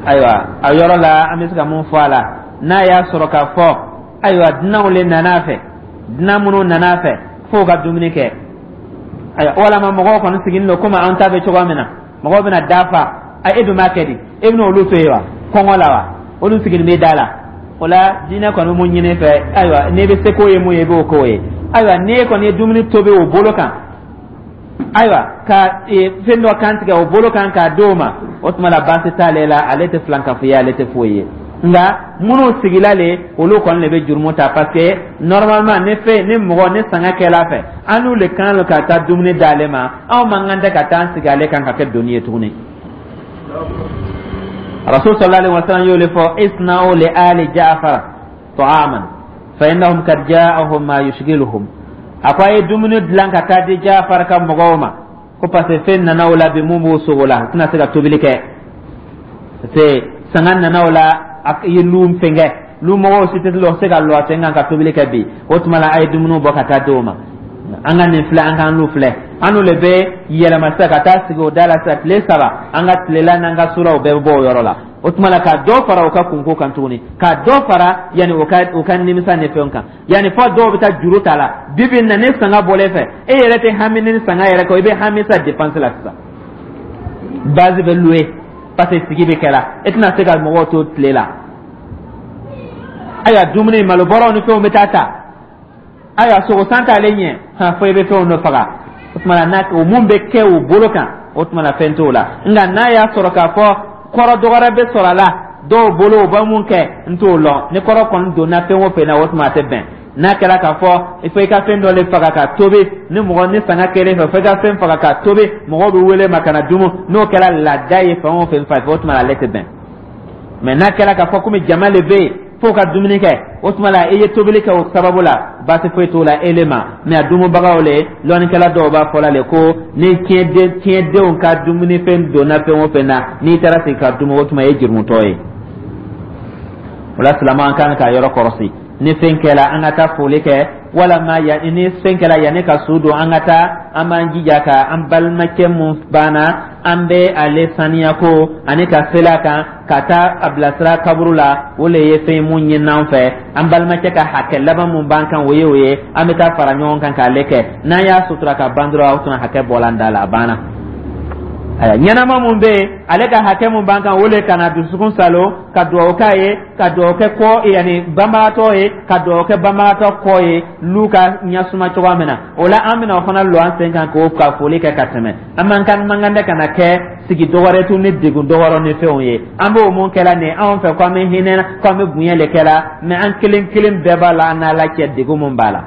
Ayiwa, a yɔrɔ la an bɛ se ka mun fɔ a la? N'a y'a sɔrɔ k'a fɔ, ayiwa, dunanw le nana a fɛ, dunan minnu nana a fɛ f'o ka dumuni kɛ, ayiwa, walama mɔgɔw kɔni sigilen don komi an ta bɛ cogoya min na, mɔgɔw bɛna da fa, a e dun b'a kɛ di? E bɛna olu to yen wa kɔngɔ la wa? Olu sigilen bɛ da la. O la, diinɛ kɔni bɛ mun ɲini fɛ? Ayiwa, n'i bɛ se k'o ye mun ye, i b'o k'o ye. Ayiwa, n'e kɔni ye dumuni tobi o bolo kan, ayiwa, ka fɛn dɔ kan tigɛ o bolo kan k'a d'o ma, o tuma la baasi t'ale la. Ale tɛ filankafoya, ale tɛ foyi ye. Nka minnu sigila le, olu kɔni de bɛ jurumu ta, parce que normalement ni fɛn ni mɔgɔ ni sanga kɛla fɛ, an n'u le kan ka taa dumuni d'ale ma. Anw man kan tɛ ka taa an sigi ale kan ka kɛ doni ye tuguni. Rasul sallallahu alaihi wasallam y'o le fɔ: isna'u li ali Ja'far ta'aman fa innahum kad ja'ahum ma yushghiluhum. A ko a ye dumuni dilan ka taa di Ja'far ka mɔgɔw ma, ko parce que fɛn nana o la bi mun b'o sogo la, u tɛna se ka tobili kɛ, parce que sanga nana o la, a ye lu fɛnkɛ, lu mɔgɔw si tɛ se ka lɔ a sen kan ka tobili kɛ bi. O tuma la, a ye dumuniw bɔ ka taa di o ma. An ka nin filɛ, an k'an lu filɛ, an n'u le bɛ yɛlɛma sisan ka taa sigi o da la sisan tile 3. An ka tilela n'an ka suraw bɛɛ bɛ bɔ o yɔrɔ la. O tuma la, ka dɔ fara u ka kunko kan tuguni, ka dɔ fara yanni u ka nimisa ni fɛnw kan, yanni fɔ dɔw bɛ taa juru ta la. Bi bi in na, ni sanga bɔlen fɛ, e yɛrɛ tɛ hami ni sanga yɛrɛ kɔ, i bɛ hami sa dépense la sisan. Base bɛ louer parce que sigi bɛ kɛla, e tɛna se ka mɔgɔw to tile la. Ayiwa, dumuni malobɔrɔw ni fɛnw bɛ taa ta. Ayiwa, sogo san t'ale ɲɛ han, fo i bɛ fɛnw dɔ faga. O tuma na, n'a o mun bɛ kɛ o bolo kan, o tuma na fɛn t'o la. Nka n'a y'a sɔrɔ k'a fɔ kɔrɔ dɔ wɛrɛ bɛ sɔrɔ a la dɔw bolo, u bɛ mun kɛ, n t'o lɔn. Ni kɔrɔ kɔni donna fɛn o fɛn na, o tuma a tɛ bɛn. N'a kɛra k'a fɔ il faut i ka fɛn dɔ le faga ka tobi, ni mɔgɔ ni sanga kɛlen fɛ, fo i ka fɛn faga ka tobi, mɔgɔw bɛ wele ma ka na dumu, n'o kɛra laada ye fɛn o fɛn fɛ, o tuma ale tɛ bɛn. Mɛ n'a kɛra k'a fɔ komi jama le bɛ yen f'o ka dumuni kɛ, o tuma la i ye tobili kɛ o sababu la, baasi foyi t'o la ele ma. Mɛ a dumubagaw le, lɔnnikɛla dɔw b'a fɔ la le ko ni tiɲɛdenw ka dumunifɛn donna fɛn o fɛn na, n'i taara sigi ka dumu, o tuma e ye jurumutɔ ye. O la, silamɛ, an kan ka yɔrɔ kɔlɔsi. Ni fɛn kɛla, an ka taa foli kɛ, walama ya ni fɛn kɛla yanni ka su don, an ka taa, an b'an jija ka an balimakɛ mun banna, an bɛ ale saniya ko ani ka sela kan ka taa a bilasira kaburu la. O le ye fɛn mun ɲini an fɛ. An balimakɛ ka hakɛ laban mun b'an kan, o ye o ye. An bɛ taa fara ɲɔgɔn kan k'ale kɛ. N'an y'a sutura ka ban dɔrɔn, o tuma hakɛ bɔla an da la, a banna. Aya, ɲɛnama mun bɛ yen, ale ka hakɛ mun b'an kan, o le kana dusukun salo ka dugawu k'a ye, ka dugawu kɛ kɔ yanni banbagatɔ ye, ka dugawu kɛ banbagatɔ kɔ ye, n'u ka ɲɛsuma cogoya min na. O la, an bɛna o fana lɔ an sen kan k'o ka foli kɛ ka tɛmɛ. An man kan, man kan tɛ ka na kɛ sigi dɔgɔrɛ tun ni degun dɔgɔrɔ ni fɛnw ye. An b'o mun kɛla nin anw fɛ ko an bɛ hinɛ, ko an bɛ bonya le kɛla, mɛ an kelen kelen bɛɛ b'a la, an n'Ala cɛ, degun mun b'a la,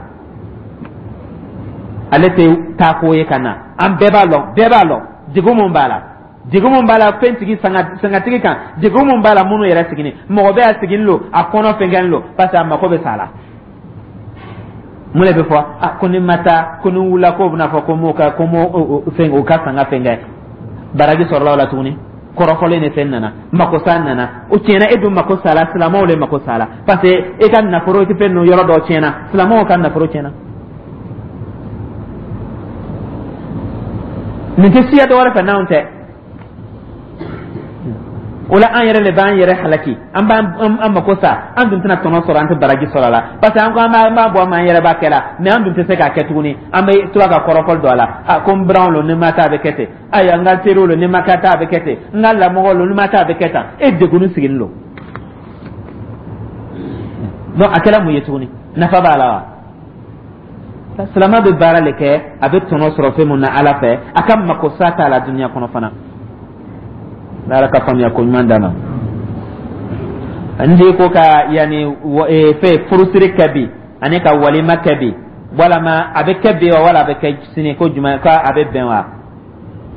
ale tɛ taa ko ye ka na. An bɛɛ b'a lɔn, bɛɛ b'a lɔn degun mun b'a la, degun mun b'a la fɛntigi sangatigi kan, degun mun b'a la minnu yɛrɛ sigini. Mɔgɔ bɛ a sigini lo, a kɔnɔ fɛnkɛni lo, parce que a mako bɛ sa la. Mun de bɛ fɔ? A ko ni ma taa, ko ni wulila, k'o bɛna fɔ ko m'o ka ko m'o fɛn o ka sanga fɛn kɛ. Baraji sɔrɔla o la tuguni, kɔrɔfɔlen ni fɛn nana, makosa nana, o tiɲɛna. E dun mako sala, silamɛw de mako sala, parce que e ka nafolo fɛn ninnu yɔrɔ dɔ tiɲɛna, silamɛw ka nafolo tiɲɛna. Nin tɛ siya dɔ wɛrɛ fɛ n'anw tɛ. O la, an yɛrɛ de b'an yɛrɛ halaki, an b'an an mako sa, an dun tɛna tɔnɔ sɔrɔ, an tɛ baraji sɔrɔ a la, parce que an ko an b'a bɔ an ma, an yɛrɛ b'a kɛ la, mɛ an dun tɛ se k'a kɛ tuguni. An bɛ tora ka kɔrɔfɔli don a la: a ko n biranw lo, ni ma taa a bɛ kɛ ten. Ayiwa, n ka teriw lo, ni ma ka taa a bɛ kɛ ten. N ka lamɔgɔw lo, ni ma taa a bɛ kɛ tan. E degunni sigilen don. Donc a kɛra mun ye tuguni? Nafa b'a la wa? Silama bɛ baara le kɛ, a bɛ tɔnɔ sɔrɔ fɛn mun na Ala fɛ, a ka mako sa t'a la dunuya kɔnɔ fana. Ala ka faamuya ko ɲuman d'a ma. N de ko ka yanni fɛn furusiri kɛ bi ani ka walima kɛ bi, walama a bɛ kɛ bi wa, wala a bɛ kɛ sini, ko jumɛn ko a bɛ bɛn wa?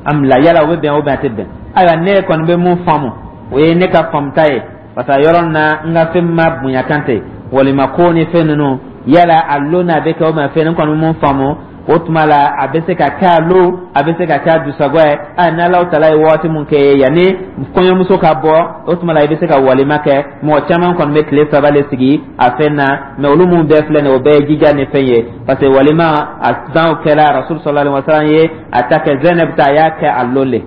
An bila yala o bɛ bɛn o bɛn, a tɛ bɛn. Ayiwa, ne kɔni bɛ mun faamu, o ye ne ka faamuta ye, parce que yɔrɔ na n ka fɛn ma bonya kan tɛ walima ko ni fɛn ninnu yala a lon n'a bɛ kɛ o ma fɛn. Ne kɔni mun faamu, o tuma la a bɛ se ka kɛ a lo, a bɛ se ka kɛ a dusagɔ ye. A n'Alahu taala ye waati mun kɛ yanni kɔɲɔmuso ka bɔ, o tuma la i bɛ se ka walima kɛ. Mɔgɔ caman kɔni bɛ tile 3 le sigi a fɛn na, mɛ olu mun bɛɛ filɛ nin ye, o bɛɛ ye jija ni fɛn ye, parce que walima a danw kɛra Rasul sallallahu alaihi wa sallam ye a ta kɛ Zainab ta, a y'a kɛ a lon le.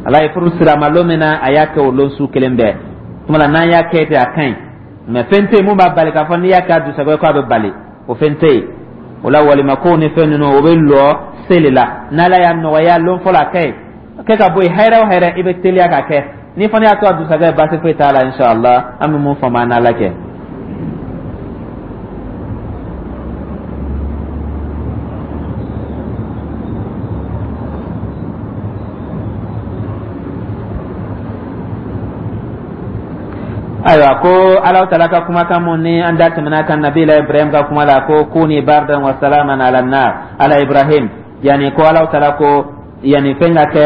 Ala ye furu sira ma lon min na, a y'a kɛ o lon su kelen bɛɛ. Tuma la, n'an y'a kɛ ten, a ka ɲi, mɛ fɛn tɛ yen mun b'a bali k'a fɔ n'i y'a kɛ a dusagɔ ye k'a bɛ bali, o fɛn tɛ yen. O la, walima kow ni fɛn ninnu, o bɛ lɔ seli la. N'Ala y'a nɔgɔya lon fɔlɔ, a kɛ yen kɛ ka bɔ yen, hɛrɛ o hɛrɛ, i bɛ teliya ka kɛ. Ni fana y'a to a dugusajɛ, baasi foyi t'a la, inshallah. An bɛ mun faamu an n'Ala cɛ. Ayiwa, ko Alahu Taala ka kumakan mun ni an da tɛmɛna kan Nabila Ibrahim ka kuma la, ko kuni bardan wa salaman ala nar ala Ibrahim, yani ko Alahu Taala ko yani fɛn ka kɛ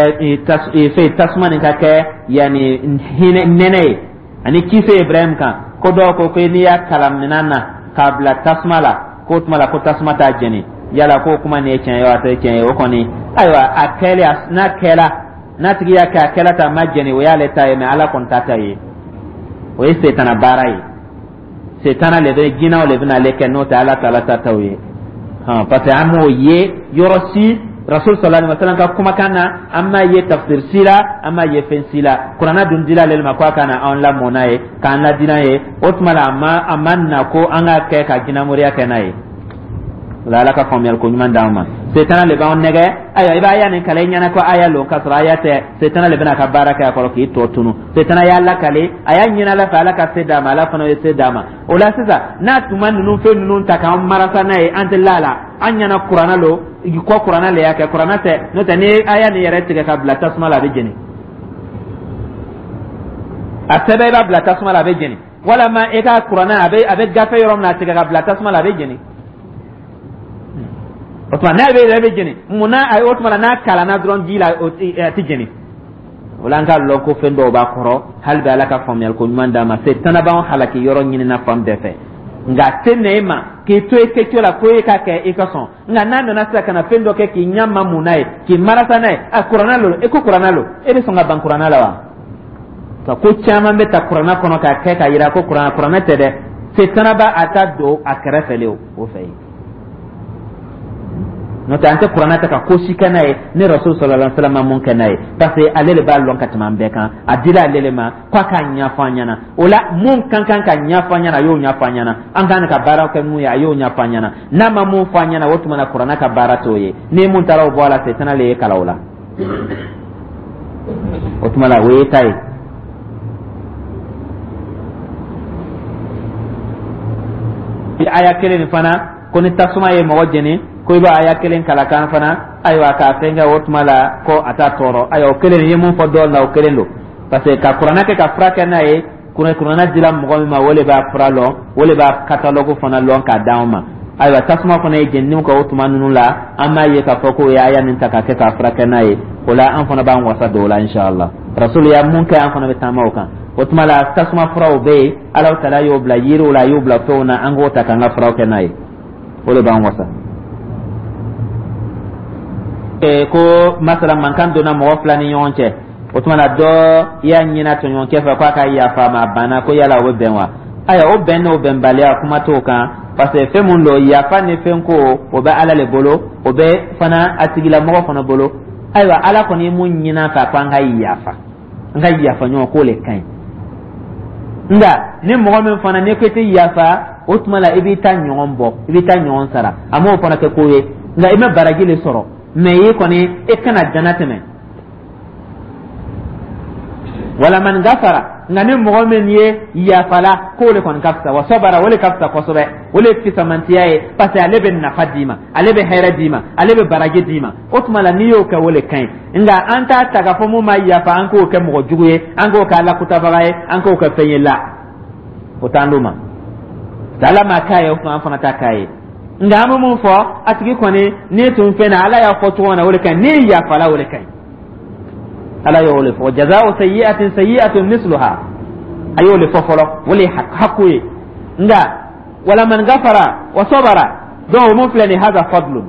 fɛn tasuma nin ka kɛ yani hinɛ nɛnɛ ye ani kisi Ibrahim kan. Ko dɔw ko ko n'i y'a kalan minan na k'a bila tasuma la, k'o tuma la ko tasuma t'a jeni. Yala k'o kuma nin ye tiɲɛ ye wa, a tɛ tiɲɛ ye? O kɔni, ayiwa, a kɛlen, n'a kɛla, n'a tigi y'a kɛ, a kɛla ta a ma jeni, o y'ale ta ye, mɛ Ala kɔni ta ta ye. O ye setana baara ye, setana le bɛ, jinɛw le bɛna ale kɛ, n'o tɛ Ala taala ta t'o ye. Parce que an m'o ye yɔrɔ si Rasul sallallahu alaihi wasallam ka kumakan na, an m'a ye tafsir si la, an m'a ye fɛn si la. Kuranna dun dila ale ma ko a ka na anw lamɔ n'a ye, k'an ladi n'a ye. O tuma la, a ma na ko an ka kɛ ka jinɛmoriya kɛ n'a ye. O la, Ala ka faamuyali ko ɲuman d'an ma. Setana le b'anw nɛgɛ. Ayiwa, i b'a aya nin kalan i ɲɛna ko aya lo, k'a sɔrɔ aya tɛ. Setana le bɛna a ka baara kɛ a kɔrɔ k'i tɔ tunu. Setana y'a lakale, a y'a ɲini Ala fɛ, Ala ka se d'a ma, Ala fana ye se d'a ma. O la sisan, n'a tun ma ninnu fɛn ninnu ta k'an marasa n'a ye, an tɛ la la an ɲɛna kuranna lo ko kuranna le y'a kɛ. Kuranna tɛ. N'o tɛ, ni aya nin yɛrɛ tigɛ ka bila tasuma la, a bɛ jeni. A sɛbɛn, i b'a bila tasuma la, a bɛ jeni. Walama i ka kuranna a bɛ gafe yɔrɔ min na, a tigɛ ka bila tasuma la, a bɛ jeni. O tuma n'a bɛ yɛrɛ bɛ jeni mun na? O tuma la, n'a kalanna dɔrɔn ji la, a tɛ jeni. O la, an k'a lɔn ko fɛn dɔw b'a kɔrɔ. Hali bi, Ala ka faamuyali ko ɲuman d'an ma. Setana b'anw halaki yɔrɔ ɲinina fan bɛɛ fɛ, nka a tɛ na e ma k'i to i kɛcogo la ko e ka kɛ i ka sɔn. Nka n'a nana sisan ka na fɛn dɔ kɛ k'i ɲɛ ma mun n'a ye, k'i marasa n'a ye, a kuranna lo, e ko kuranna lo, e bɛ sɔn ka ban kuranna la wa? Ka ko caman bɛ ta kuranna kɔnɔ k'a kɛ k'a yira ko kuranna, kuranna tɛ dɛ. Setana b'a a ta don a kɛrɛfɛ le o fɛ yen. N'o tɛ, an tɛ kuranna ta ka ko si kɛ n'a ye ni Rasul sallallahu alaihi wasallam ma mun kɛ n'a ye, parce que ale de b'a lɔn ka tɛmɛ an bɛɛ kan. A dila ale de ma k'a k'a ɲɛfɔ an ɲɛna. O la, mun kan kan ka ɲɛfɔ an ɲɛna, a y'o ɲɛfɔ an ɲɛna. An kan ka baara kɛ mun ye, a y'o ɲɛfɔ an ɲɛna. N'a ma mun fɔ an ɲɛna, o tuma na kuranna ka baara t'o ye. Ni mun taara o bɔ a la, setana le ye kalan o la. O tuma la, o ye ta ye. Aya kelen nin fana ko ni tasuma ye mɔgɔ jeni, ko i b'a aya kelen kalan kan fana, ayiwa, k'a fɛn kɛ, o tuma la ko a t'a tɔɔrɔ. Ayiwa, o kelen ye mun fɔ dɔw la, o kelen don, parce que ka kuranna kɛ ka fura kɛ n'a ye, kuranna dila mɔgɔ min ma, o de b'a fura lɔn, o de b'a catalogue fana lɔn k'a d'anw ma. Ayiwa, tasuma fana ye jenini kɛ, o tuma ninnu la, an b'a ye k'a fɔ k'o ye aya nin ta k'a kɛ k'a furakɛ n'a ye. O la, an fana b'an wasa don o la, inshallah. Rasul ya mun kɛ, an fana bɛ taama o kan. O tuma la, tasuma furaw bɛ yen, Ala taala y'o bila yiriw la, a y'o bila fɛnw na, an k'o ta k'an ka furaw kɛ n'a ye, o de b'an wasa. Ko masala mankan donna mɔgɔ fila ni ɲɔgɔn cɛ, o tuma na dɔ y'a ɲini a tɔɲɔgɔnkɛ fɛ k'a ka yafa a ma, a banna, ko yala o bɛ bɛn wa? Ayiwa, o bɛn n'o bɛnbaliya, kuma t'o kan, parce que fɛn mun don, yafa ni fɛn ko, o bɛ Ala le bolo, o bɛ fana a tigilamɔgɔ fana bolo. Ayiwa, Ala kɔni ye mun ɲini an fɛ, ko an ka yafa, an ka yafa ɲɔgɔn, k'o le ka ɲi. Nka ni mɔgɔ min fana n'i ko i tɛ yafa, o tuma la i b'i ta ɲɔgɔn bɔ, i b'i ta ɲɔgɔn sara. A m'o fana kɛ ko ye, nka i ma baraji le sɔrɔ, mɛ i kɔni e kana dana tɛmɛ. Wala man gafara, nka ni mɔgɔ min ye yafala, k'o de kɔni ka fisa. Wa sabara, o de ka fisa kosɛbɛ, o de ye fisamantiya ye, parce que ale bɛ nafa d'i ma, ale bɛ hɛrɛ d'i ma, ale bɛ baraji d'i ma. O tuma la, n'i y'o kɛ, o de ka ɲi. Nka an t'a ta k'a fɔ mun ma yafa, an k'o kɛ mɔgɔ jugu ye, an k'o kɛ Ala kutabaga ye, an k'o kɛ fɛn ye la, o t'an d'o ma. Ala ma k'a ye, o tuma an fana t'a k'a ye. Nka an bɛ mun fɔ a tigi kɔni, n'i tun fɛn na, Ala y'a fɔ cogo min na, o de ka ɲi. N'i yafala, o de ka ɲi. Ala y'o de fɔ: jaza'u sayyi'atin sayyi'atun misluha. A y'o de fɔ fɔlɔ, o de ye haku ye. Nka wala man gafara wa sabara, donc o mun filɛ nin, haza fadlun,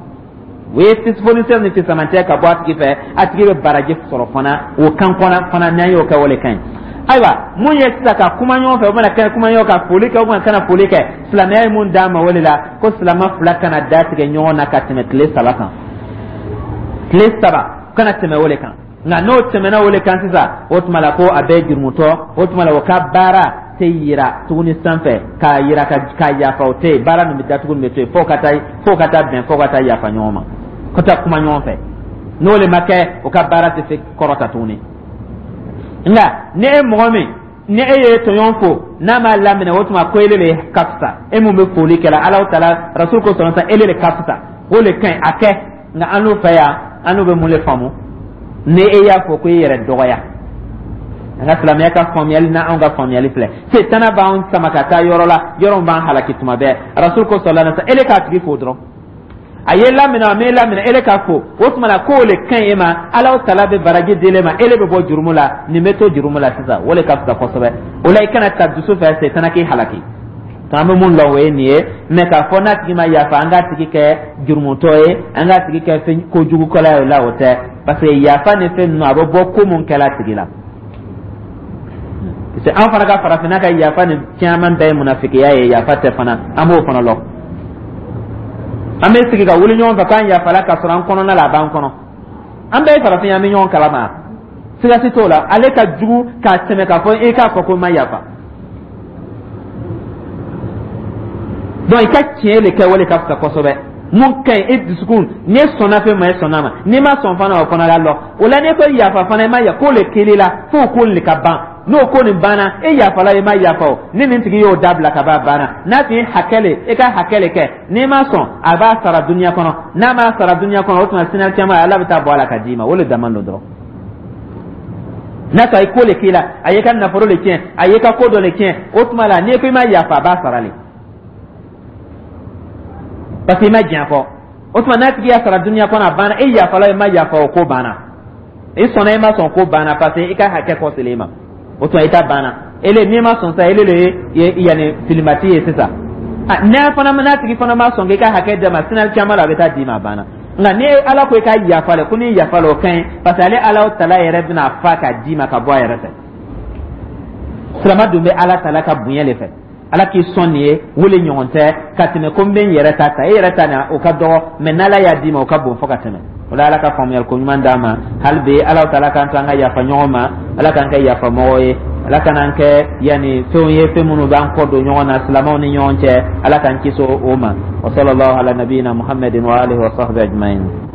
o ye fonisɛn ni fisamantɛ ka bɔ a tigi fɛ, a tigi bɛ baraji sɔrɔ fana o kan kɔnɔ fana. N'an y'o kɛ, o de ka ɲi. Ayiwa, mun ye sisan ka kuma ɲɔgɔn fɛ, o mana kɛ kuma ɲɔgɔn ka foli kɛ, o mana kana foli kɛ, silamɛya ye mun d'an ma o de la, ko silamɛ fila kana da tigɛ ɲɔgɔn na ka tɛmɛ tile 3 kan, tile 3 kana tɛmɛ o de kan. Nka n'o tɛmɛna o de kan sisan, o tuma la ko a bɛɛ jurumutɔ. O tuma la, o ka baara tɛ yira tuguni sanfɛ k'a yira ka k'a yafa, o tɛ yen. Baara nin bɛ datugu, nin bɛ to yen fo ka taa bɛn, fo ka taa yafa ɲɔgɔn ma, ka taa kuma ɲɔgɔn fɛ. N'o de ma kɛ, o ka baara tɛ se kɔrɔta tuguni. Nka ni e mɔgɔ min, ni e ye tɔɲɔgɔn fo, n'a m'a laminɛ, o tuma ko ele le ka fisa. E mun bɛ foli kɛla, Ala taala rasul ko sɔrɔ sa, ele le ka fisa, o le ka ɲi a kɛ. Nka an n'u fɛ yan, an n'u bɛ mun le faamu? Ni e y'a fɔ ko e yɛrɛ dɔgɔya, an ka silamɛya ka faamuyali na, anw ka faamuyali filɛ, setana b'an sama ka taa yɔrɔ la, yɔrɔ min b'an halaki tuma bɛɛ. Rasul ko sɔrɔ la, ele k'a tigi fo dɔrɔn, a ye laminɛ, a m'e laminɛ, ele k'a fo. O tuma na k'o le ka ɲi e ma, Ala tala bɛ baraji d'ele ma, ele bɛ bɔ jurumu la, nin bɛ to jurumu la sisan, o le ka fisa kosɛbɛ. O la, i kana ta dusu fɛ, setana k'i halaki. An bɛ mun lɔn, o ye nin ye. Mɛ k'a fɔ n'a tigi ma yafa, an k'a tigi kɛ jurumutɔ ye, an k'a tigi kɛ fɛn kojugukɛla ye, o la o tɛ, parce que yafa ni fɛn ninnu, a bɛ bɔ ko mun kɛla tigi la. Parce que an fana ka farafinna ka yafa ni caman bɛɛ ye munafikiya ye, yafa tɛ fana, an b'o fana lɔn. An bɛ sigi ka wuli ɲɔgɔn fɛ k'an yafala, ka sɔrɔ an kɔnɔna la, a b'an kɔnɔ. An bɛɛ ye farafin ye, an bɛ ɲɔgɔn kalama, siga si t'o la. Ale ka jugu k'a tɛmɛ k'a fɔ e k'a fɔ ko n ma yafa. Donc i ka tiɲɛ de kɛ, wale ka fisa kosɛbɛ. Mun ka ɲi e dusukun, n'i sɔnna fɛn ma, e sɔnna ma, n'i ma sɔn fana, o fana la lɔ. O la, n'i ko yafa fana, i ma yafa k'o le kelen la, f'o ko nin ka ban. N'o ko nin banna, e yafala, i ma yafa o, ni nin tigi y'o dabila ka ban, a banna. N'a tun ye hakɛ le, e ka hakɛ le kɛ, n'i ma sɔn, a b'a sara duniya kɔnɔ. N'a m'a sara duniya kɔnɔ, o tuma sini caman, Ala bɛ taa bɔ a la ka d'i ma. O le dama don dɔrɔn. N'a sɔrɔ a ye ko le k'i la, a y'i ka nafolo le tiɲɛ, a y'i ka ko dɔ le tiɲɛ, o tuma la, n'i ko i ma yafa, a b'a sara le, parce que i ma diɲɛ kɔ. O tuma n'a tigi y'a sara duniya kɔnɔ, a banna. E yafala, i ma yafa, o ko banna. I sɔnna, i ma sɔn, ko banna, parce que i ka hakɛ kɔ selen i ma. O tuma i ta banna. Ele n'i ma sɔn sa, ele le ye yanni filimati ye sisan. N'a fana, n'a tigi fana ma sɔn k'i ka hakɛ d'a ma, sini caman la, a bɛ taa d'i ma, a banna. Nka ni Ala ko i ka yafa le, ko n'i yafa la, o ka ɲi, parce que ale Ala tala yɛrɛ bɛna fa k'a d'i ma ka bɔ a yɛrɛ fɛ. Silama dun bɛ Ala tala ka bonya le fɛ. Ala k'i sɔn nin ye, wele ɲɔgɔn tɛ ka tɛmɛ ko n bɛ n yɛrɛ ta ta. E yɛrɛ ta nin, o ka dɔgɔ, mɛ n'Ala y'a d'i ma, o ka bon fo ka tɛmɛ. O la, Ala ka faamuyali ko ɲuman d'an ma. Hali bi, Ala taala k'an to an ka yafa ɲɔgɔn ma. Ala k'an kɛ yafa mɔgɔ ye. Ala kan'an kɛ yanni fɛnw ye, fɛn minnu b'an kɔ don ɲɔgɔn na silamɛw ni ɲɔgɔn cɛ. Ala k'an kisi o ma. Wa sallallahu ala nabiyina Muhammadin wa alihi wa sahbihi ajma'in.